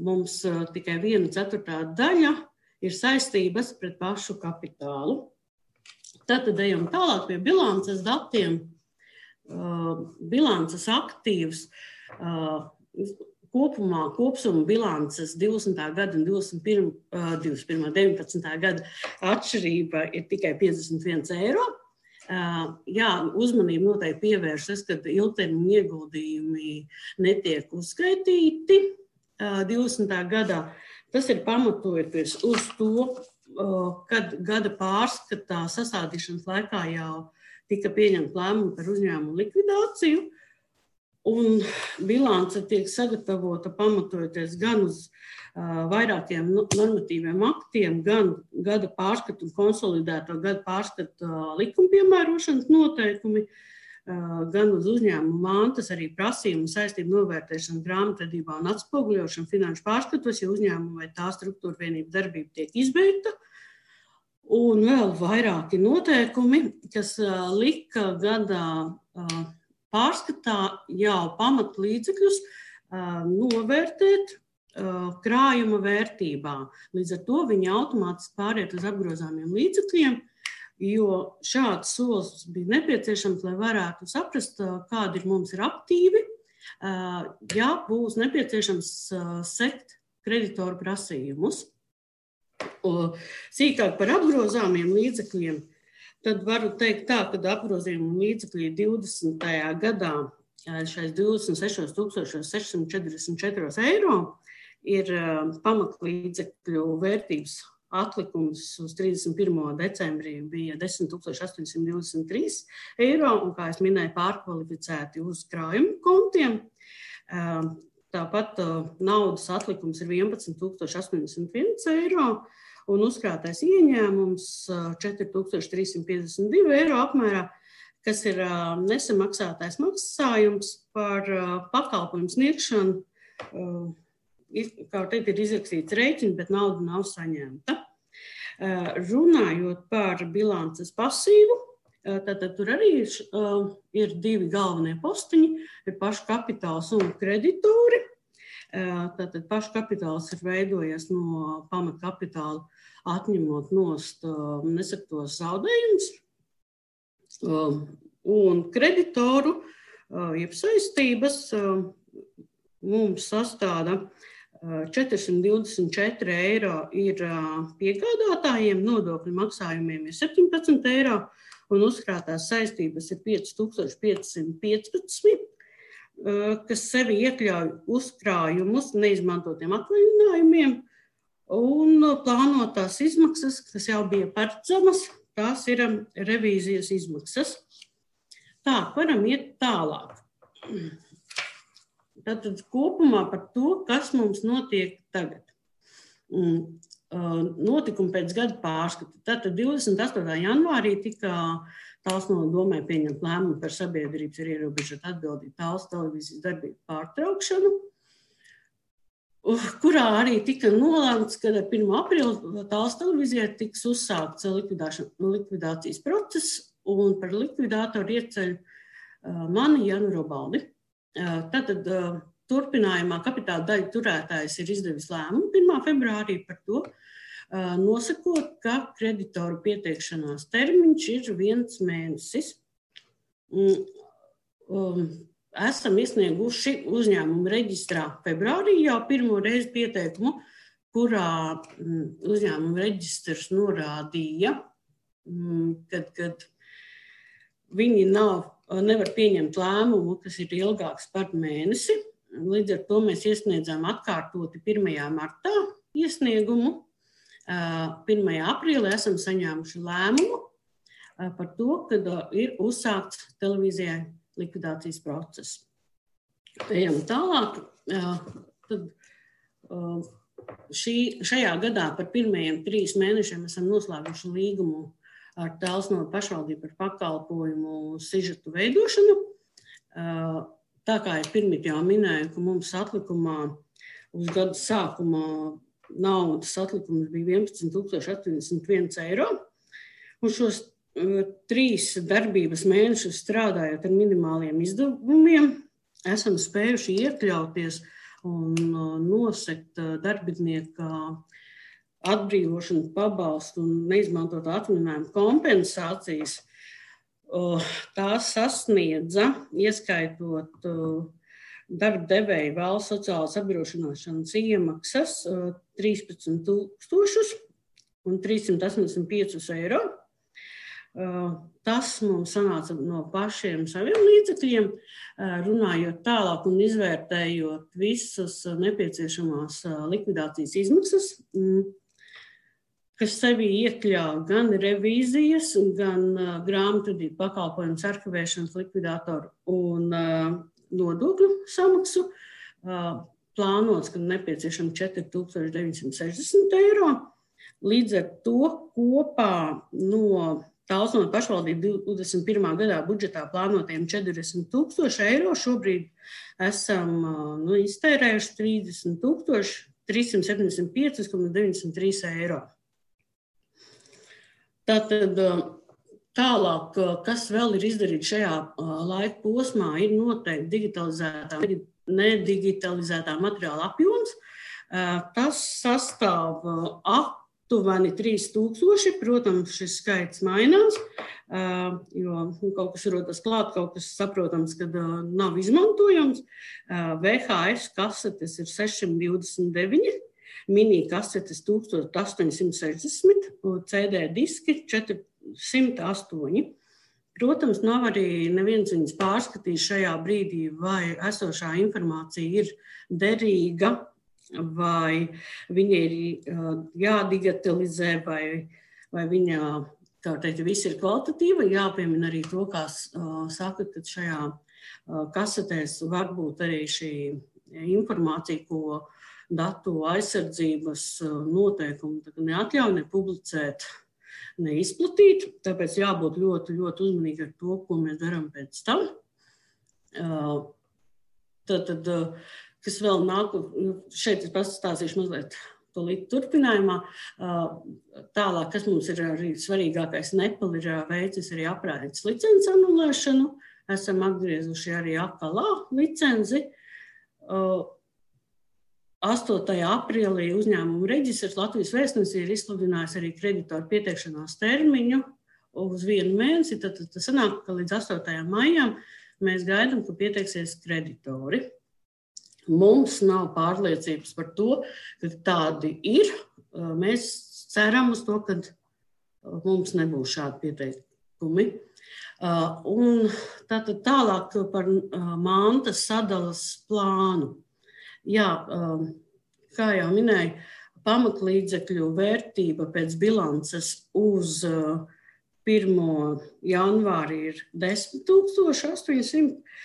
mums tikai viena ceturtā daļa ir saistības pret pašu kapitālu. Tātad ejam tālāk pie bilances datiem. Bilances aktīvs kopumā kopsuma bilances divdesmitā gada un divdesmit pirmā deviņpadsmitā gada atšķirība ir tikai piecdesmit viens eiro. Jā, uzmanību noteikti pievēršas, kad ilgtermiņa ieguldījumi netiek uzskaitīti divdesmitā gadā. Tas ir pamatojoties uz to, kad gada pārskatā sasādīšanas laikā jau tika pieņemta lēmuma par uzņēmumu likvidāciju, un bilance tiek sagatavota pamatojoties gan uz uh, vairākiem normatīviem aktiem, gan gada pārskatu un konsolidēto gada pārskatu uh, likuma piemērošanas noteikumi, uh, gan uz uzņēmumu mantas arī prasījumu saistību novērtēšanu grāmatvedībā un atspoguļošanu finanšu pārskatos, ja uzņēmuma vai tā struktūra vienība darbība tiek izbeigta. Un vēl vairāki noteikumi, kas uh, lika gada uh, pārskatā jau pamat līdzekļus uh, novērtēt uh, krājuma vērtībā. Līdz ar to viņi automātiski pāriet uz apgrozāmiem līdzekļiem, jo šāds solis bija nepieciešams, lai varētu saprast, uh, kādi ir mums ir aktīvi, uh, ja būs nepieciešams uh, sekt kreditoru prasījumus. Uh, sīkāk par apgrozāmiem līdzekļiem. Tad varu teikt tā, ka apgrozījuma līdzekļi divdesmitajā gadā šais divdesmit sešos tūkstošos sešsimt četrdesmit četri eiro ir pamatlīdzekļu vērtības atlikums uz trīsdesmit pirmo decembrī bija desmit tūkstoši astoņsimt divdesmit trīs eiro, un, kā es minēju, pārkvalificēti uz krājumu kontiem. Tāpat naudas atlikums ir vienpadsmit tūkstoši astoņdesmit viens eiro, un uzkrātais ieņēmums četri tūkstoši trīs simt piecdesmit divi eiro apmērā, kas ir nesamaksātais maksājums par pakalpojumu sniegšanu. Kā teikt, ir izrakstīts rēķins, bet nauda nav saņemta. Runājot par bilances pasīvu, tātad tur arī ir divi galvenie postiņi, ir pašu kapitāls un kreditori. Tātad pašu kapitāls ir veidojies no pamatkapitāla, atņemot nost nesaktos zaudējumus. Un kreditoru, jeb saistības, mums sastāda četri simti divdesmit četri eiro ir piegādātājiem, nodokļu maksājumiem ir septiņpadsmit eiro, un uzkrātās saistības ir pieci tūkstoši pieci simti piecpadsmit, kas sevi iekļauj uzkrājumus neizmantotiem atvaļinājumiem, un plānotās izmaksas, kas jau bija paredzamas, tās ir revīzijas izmaksas. Tā, varam iet tālāk. Tātad kopumā par to, kas mums notiek tagad. Notikumi pēc gada pārskata. Tātad divdesmit astotajā janvārī tika Tāls no domē pieņemt lēmumu par sabiedrības ar ierobežotu atbildību Tāls televīzijas darbību pārtraukšanu, kurā arī tika nolēmts, ka ar pirmo aprīli Tāls televīzijai tiks uzsākts likvidācijas process, un par likvidātoru ieceļ mani Janu Robaldi. Tātad turpinājumā kapitāla daļa turētājs ir izdevis lēmumu pirmā februārī par to, nosakot, ka kreditoru pieteikšanās termiņš ir viens mēnesis. Esam iesnieguši uzņēmumu reģistrā februārī jau pirmo reizi pieteikumu, kurā uzņēmumu reģistrs norādīja, kad, kad viņi nav, nevar pieņemt lēmumu, kas ir ilgāks par mēnesi. Līdz ar to mēs iesniedzām atkārtoti pirmajā martā iesniegumu. pirmajā aprīlī esam saņēmuši lēmumu par to, kad ir uzsākts televīzijai likvidācijas process. Ejam tālāk. Tad šī, šajā gadā par pirmajiem trīs mēnešiem esam noslēguši līgumu ar Tēls novada pašvaldību par pakalpojumu sižetu veidošanu. Tā kā es pirmīt jau minēju, ka mums atlikumā uz gada sākumā naudas atlikums bija vienpadsmit tūkstoši astoņdesmit viens eiro. Un šos uh, trīs darbības mēnešus strādājot ar minimāliem izdevumiem, esam spējuši iekļauties un uh, nosekt uh, darbinieka atbrīvošanu, pabalstu un neizmantot atvaļinājumu kompensācijas. Uh, tās sasniedza, ieskaitot uh, darba devēja valsts sociālās apdrošināšanas iemaksas trīspadsmit tūkstošus un trīssimt astoņdesmit piecus eiro. Tas mums sanāca no pašiem saviem līdzekļiem, runājot tālāk un izvērtējot visas nepieciešamās likvidācijas izmaksas, kas sevī iekļauj gan revīzijas, gan grāmatvedību pakalpojumus arhivēšanas likvidātoru un nodokļu samaksu. Plānots, ka nepieciešami četri tūkstoši deviņsimt sešdesmit eiro. Līdz ar to kopā no Tēls novada pašvaldību divdesmit pirmā gadā budžetā plānotiem četrdesmit tūkstoši eiro. Šobrīd esam nu, iztērējuši trīsdesmit tūkstoši trīssimt septiņdesmit pieci komats deviņdesmit trīs eiro. Tātad tālāk, kas vēl ir izdarīts šajā laika posmā, ir noteikti digitalizētā, nedigitalizētā materiāla apjoms. Tas sastāv aptuveni trīs tūkstoši, protams, šis skaits mainās, jo kaut kas rodas klāt, kaut kas saprotams, kad nav izmantojams. V H S kasetes ir sešsimt divdesmit deviņi, mini kasetes tūkstoš astoņsimt sešdesmit, C D diski četrsimt astoņi. Protams, nav arī neviens viņas pārskatījis šajā brīdī, vai esošā informācija ir derīga, vai viņa ir jādigitalizē, vai, vai viņa, kā teikt, viss ir kvalitatīva. Jāpiemina arī to, kā saka, ka šajā kasetēs var būt arī šī informācija, ko datu aizsardzības noteikumi neatļauj nepublicēt, neizplatīt, tāpēc jābūt ļoti, ļoti uzmanīgi ar to, ko mēs darām pēc tam. Tad, tad kas vēl nāk, šeit es pastāstīšu mazliet to līdz turpinājumā. Tālāk, kas mums ir arī svarīgākais, Nepal ir veicis arī aprādītas licences anulēšanu. Esam atgriezuši arī akalā licenci. astotajā aprīlī uzņēmumu reģistrs Latvijas vēstnesī ir izsludinājis arī kreditoru pieteikšanās termiņu uz vienu mēnesi. Tad tas sanāk, ka līdz astotajam maijam mēs gaidām, ka pieteiksies kreditori. Mums nav pārliecības par to, ka tādi ir. Mēs ceram uz to, ka mums nebūs šādi pieteikumi. Un tātad tālāk par mantas sadalas plānu. Jā, kā jau minēju, pamatlīdzekļu vērtība pēc bilances uz pirmo janvāri ir desmit tūkstoši astoņsimt.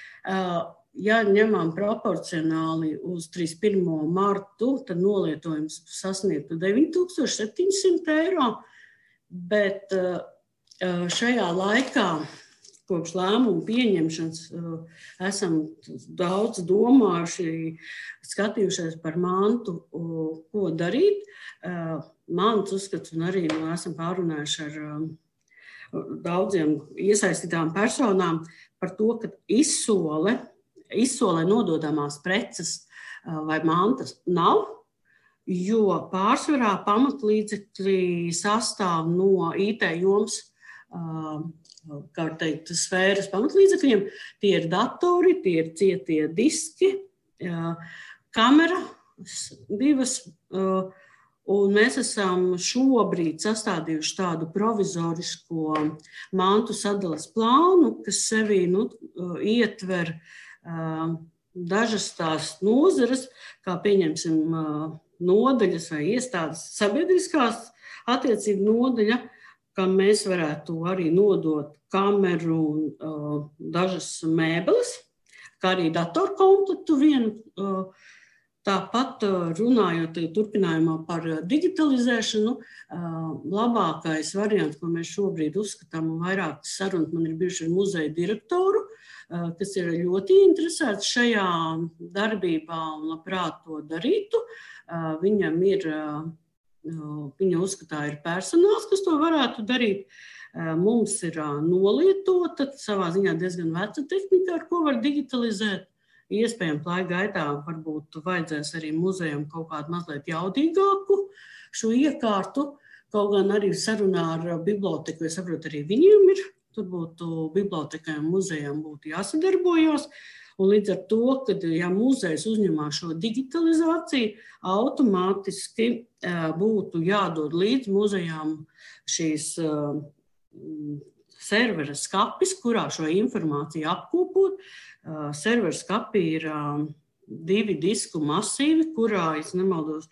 Ja ņemam proporcionāli uz trīsdesmit pirmo martu, tad nolietojums sasniegtu deviņi tūkstoši septiņsimt eiro, bet šajā laikā kopš lēmumu pieņemšanas esam daudz domājuši, skatījušies par mantu, ko darīt. Mans uzskats un arī nu, esam pārunājuši ar daudziem iesaistītām personām par to, ka izsole, izsolē nododamās preces vai mantas nav, jo pārsvarā pamatlīdzekļi sastāv no I T jomas, kā teikt, sfēras pamatlīdzekļiem. Tie ir datori, tie ir cietie diski, kameras divas, un mēs esam šobrīd sastādījuši tādu provizorisko mantu sadalas plānu, kas sevī nu, ietver dažas tās nozares, kā pieņemsim nodaļas vai iestādes sabiedriskās attiecību nodaļa, kam mēs varētu arī nodot kameru un uh, dažas mēbeles, kā arī datorkomplektu vienu. Uh, Tāpat runājot turpinājumā par digitalizēšanu, labākais variants, ko mēs šobrīd uzskatām, un vairākas sarunas man ir bijuši ar muzeja direktoru, kas ir ļoti interesēts šajā darbībā un labprāt to darītu. Viņam ir, viņa uzskatā ir personāls, kas to varētu darīt. Mums ir nolietota, savā ziņā diezgan veca tehnika, ar ko var digitalizēt. Iespējams, laika gaitā varbūt vajadzēs arī muzejam kaut kādu mazliet jaudīgāku šo iekārtu, kaut gan arī sarunā ar biblioteku, es saprotu, arī viņiem ir, tur būtu bibliotekai un muzejam būtu jāsadarbojos, un līdz ar to, kad ja muzejs uzņemās šo digitalizāciju, automātiski būtu jādod līdz muzejām šīs servera skapis, kurā šo informāciju apkopot. Servera skapi ir divi disku masīvi, kurā, es nemaldos,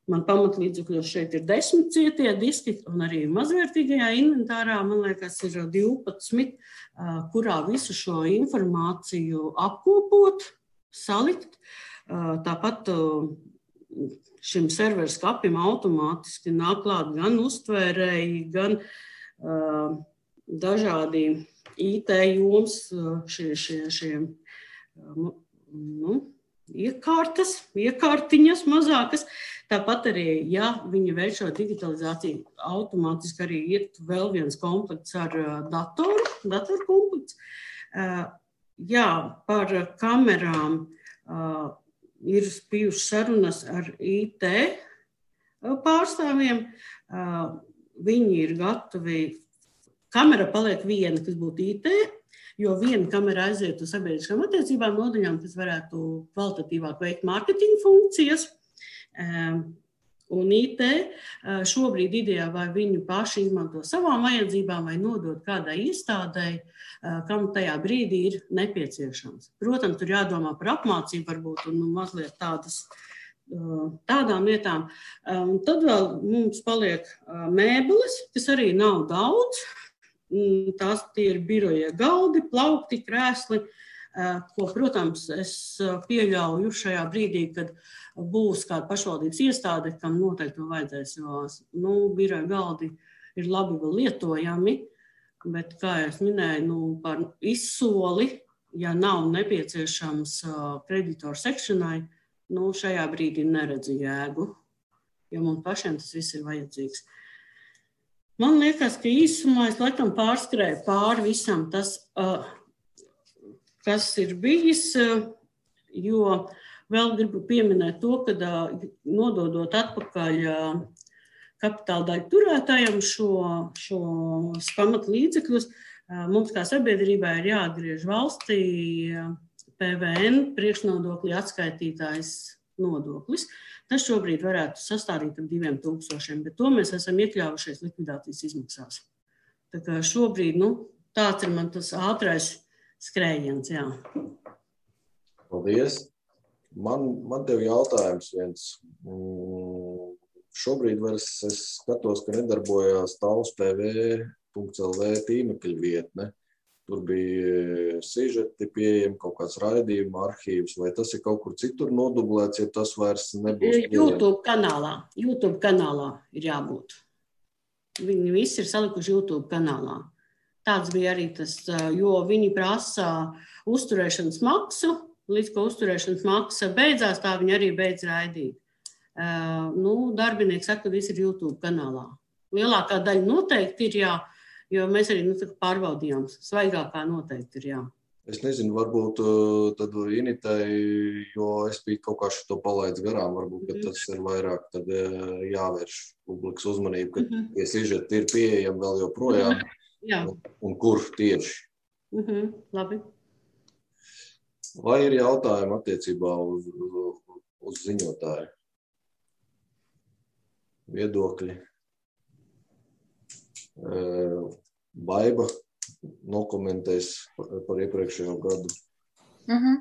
man pamatlīdzekļos šeit ir desmit cietie diski, un arī mazvērtīgajā inventārā, man liekas, ir divpadsmit, kurā visu šo informāciju apkopot, salikt. Tāpat šim servera skapim automātiski nāk klāt gan uztvērēji, gan dažādi I T joms, šie, šie, šie nu, iekārtas, iekārtiņas mazākas. Tāpat arī, ja viņi veic šo digitalizāciju, automātiski arī ir vēl viens komplekts ar datoru, datoru komplekts. Jā, par kamerām ir bijušas sarunas ar I T pārstāvjiem. Viņi ir gatavi. Kamera paliek viena, kas būtu I T, jo viena kamera aiziet uz sabiedriskām attiecībām nodaļām, kas varētu kvalitatīvāk veikt mārketinga funkcijas. Un I T šobrīd idejā vai viņi paši izmanto savām vajadzībām vai nodot kādai iestādei, kam tajā brīdī ir nepieciešams. Protams, tur jādomā par apmācību varbūt un mazliet tādas, tādām lietām. Un tad vēl mums paliek mēbeles, kas arī nav daudz. Tās tie ir biroja galdi, plaukti, krēsli, ko, protams, es pieļauju šajā brīdī, kad būs kāda pašvaldības iestāde, kam noteikti to vajadzēs, jo nu, biroja galdi ir labi vēl lietojami, bet, kā es minēju, nu, par izsoli, ja nav nepieciešams kreditoru sekšanai, nu, šajā brīdī neredzu jēgu, jo mums pašiem tas viss ir vajadzīgs. Man liekas, ka īsumā es laikam pārskrēju pāri visam tas, kas ir bijis, jo vēl gribu pieminēt to, ka nododot atpakaļ kapitāla daļu turētājiem šo, šo pamatlīdzekļus, mums kā sabiedrībā ir jāatgriež valstī P V N priekšnodokļu atskaitītājs nodoklis. Tas šobrīd varētu sastādīt ap diviem tūkstošiem, bet to mēs esam iekļāvušies likvidācijas izmaksās. Tā kā šobrīd, nu, tāds ir man tas ātrais skrējiens, jā. Paldies. Man, man tev jautājums viens. Šobrīd vairs es skatos, ka nedarbojās Tals P V punkts L V tīmekļa vietne. Tur bija sižeti pieejami, kaut kāds raidījuma arhīvs, vai tas ir kaut kur citur nodublēts, ja tas vairs nebūs pieejami? YouTube kanālā, YouTube kanālā ir jābūt. Viņi visi ir salikuši YouTube kanālā. Tāds bija arī tas, jo viņi prasa uzturēšanas maksu, līdz ko uzturēšanas maksa beidzās, tā viņi arī beidz raidīt. Uh, nu, darbinieki saka, ka viss ir YouTube kanālā. Lielākā daļa noteikti ir jā. Jo mēs arī nu, pārbaudījām, svaigākā noteikti ir jā. Es nezinu, varbūt tad Initai, jo es biju kaut kā šo palaidis garām, varbūt, ka tas ir vairāk tad jāvērš publikas uzmanību, ka mm-hmm. tie sižeti ir pieejami vēl joprojām, mm-hmm. un, un kur tieši. Mm-hmm. Labi. Vai ir jautājumi attiecībā uz, uz ziņotāju? Viedokļi? Baiba nokomentēs par, par iepriekšējo gadu. Uh-huh.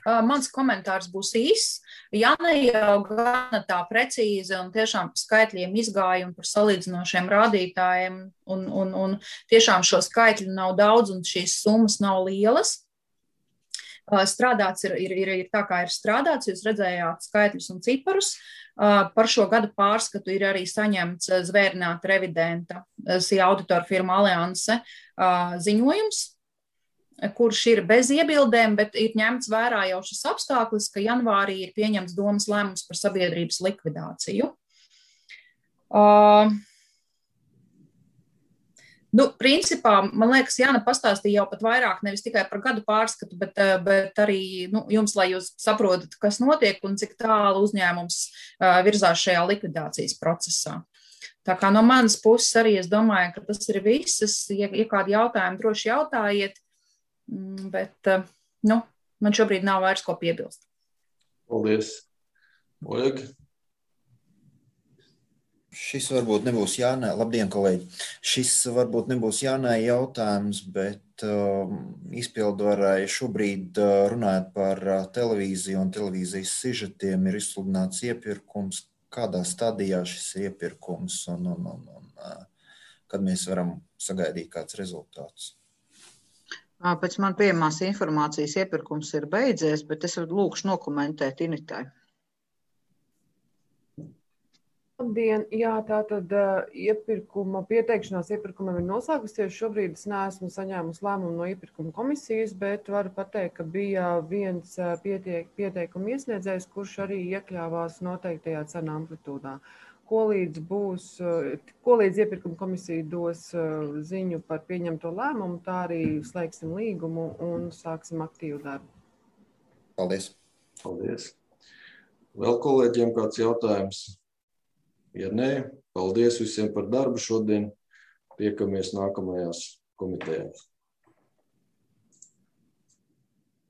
Uh, mans komentārs būs īss. Ja ne jau gana tā precīzi un tiešām par skaitļiem izgāja un par salīdzinošiem rādītājiem un, un, un tiešām šo skaitļu nav daudz un šīs summas nav lielas. strādāts ir, ir, ir, ir tā, kā ir strādāts, jūs redzējāt skaitļus un ciparus. Par šo gadu pārskatu ir arī saņemts zvērināta revidenta S I A auditoru firma Alianse ziņojums, kurš ir bez iebildēm, bet ir ņemts vērā jau šis apstākļus, ka janvārī ir pieņemts domas lēmums par sabiedrības likvidāciju. Uh, nu, principā, man liekas, Jāna pastāstīja jau pat vairāk, nevis tikai par gadu pārskatu, bet, bet arī nu, jums, lai jūs saprotat, kas notiek un cik tālu uzņēmums uh, virzās šajā likvidācijas procesā. Tā kā no manas puses arī es domāju, ka tas ir viss. Ja, ja kādi jautājumi, droši jautājiet. Bet, nu, man šobrīd nav vairs ko piebilst. Paldies. Oļeg? Šis varbūt nebūs Jānai. Labdien, kolēģi. Šis varbūt nebūs Jānai jautājums, bet um, izpildvarai šobrīd uh, runājot par uh, televīziju un televīzijas sižetiem ir izsludināts iepirkums. Kādā stadijā šis iepirkums un, un, un, un uh, kad mēs varam sagaidīt kāds rezultāts? Pēc man pieejamās informācijas iepirkums ir beidzies, bet es lūkšu nokomentēt Initai. Labdien, jā, tātad iepirkuma, pieteikšanās iepirkumam ir noslēgusies. Šobrīd es neesmu saņēmusi lēmumu no iepirkuma komisijas, bet varu pateikt, ka bija viens pieteik, pieteikuma iesniedzējs, kurš arī iekļāvās noteiktajā cenu amplitūdā. Ko līdz, būs, ko līdz iepirkuma komisija dos ziņu par pieņemto lēmumu, tā arī slēgsim līgumu un sāksim aktīvu darbu. Paldies. Paldies. Vēl kolēģiem kāds jautājums? Ja nē, paldies visiem par darbu šodien. Tiekamies nākamajās komitejās.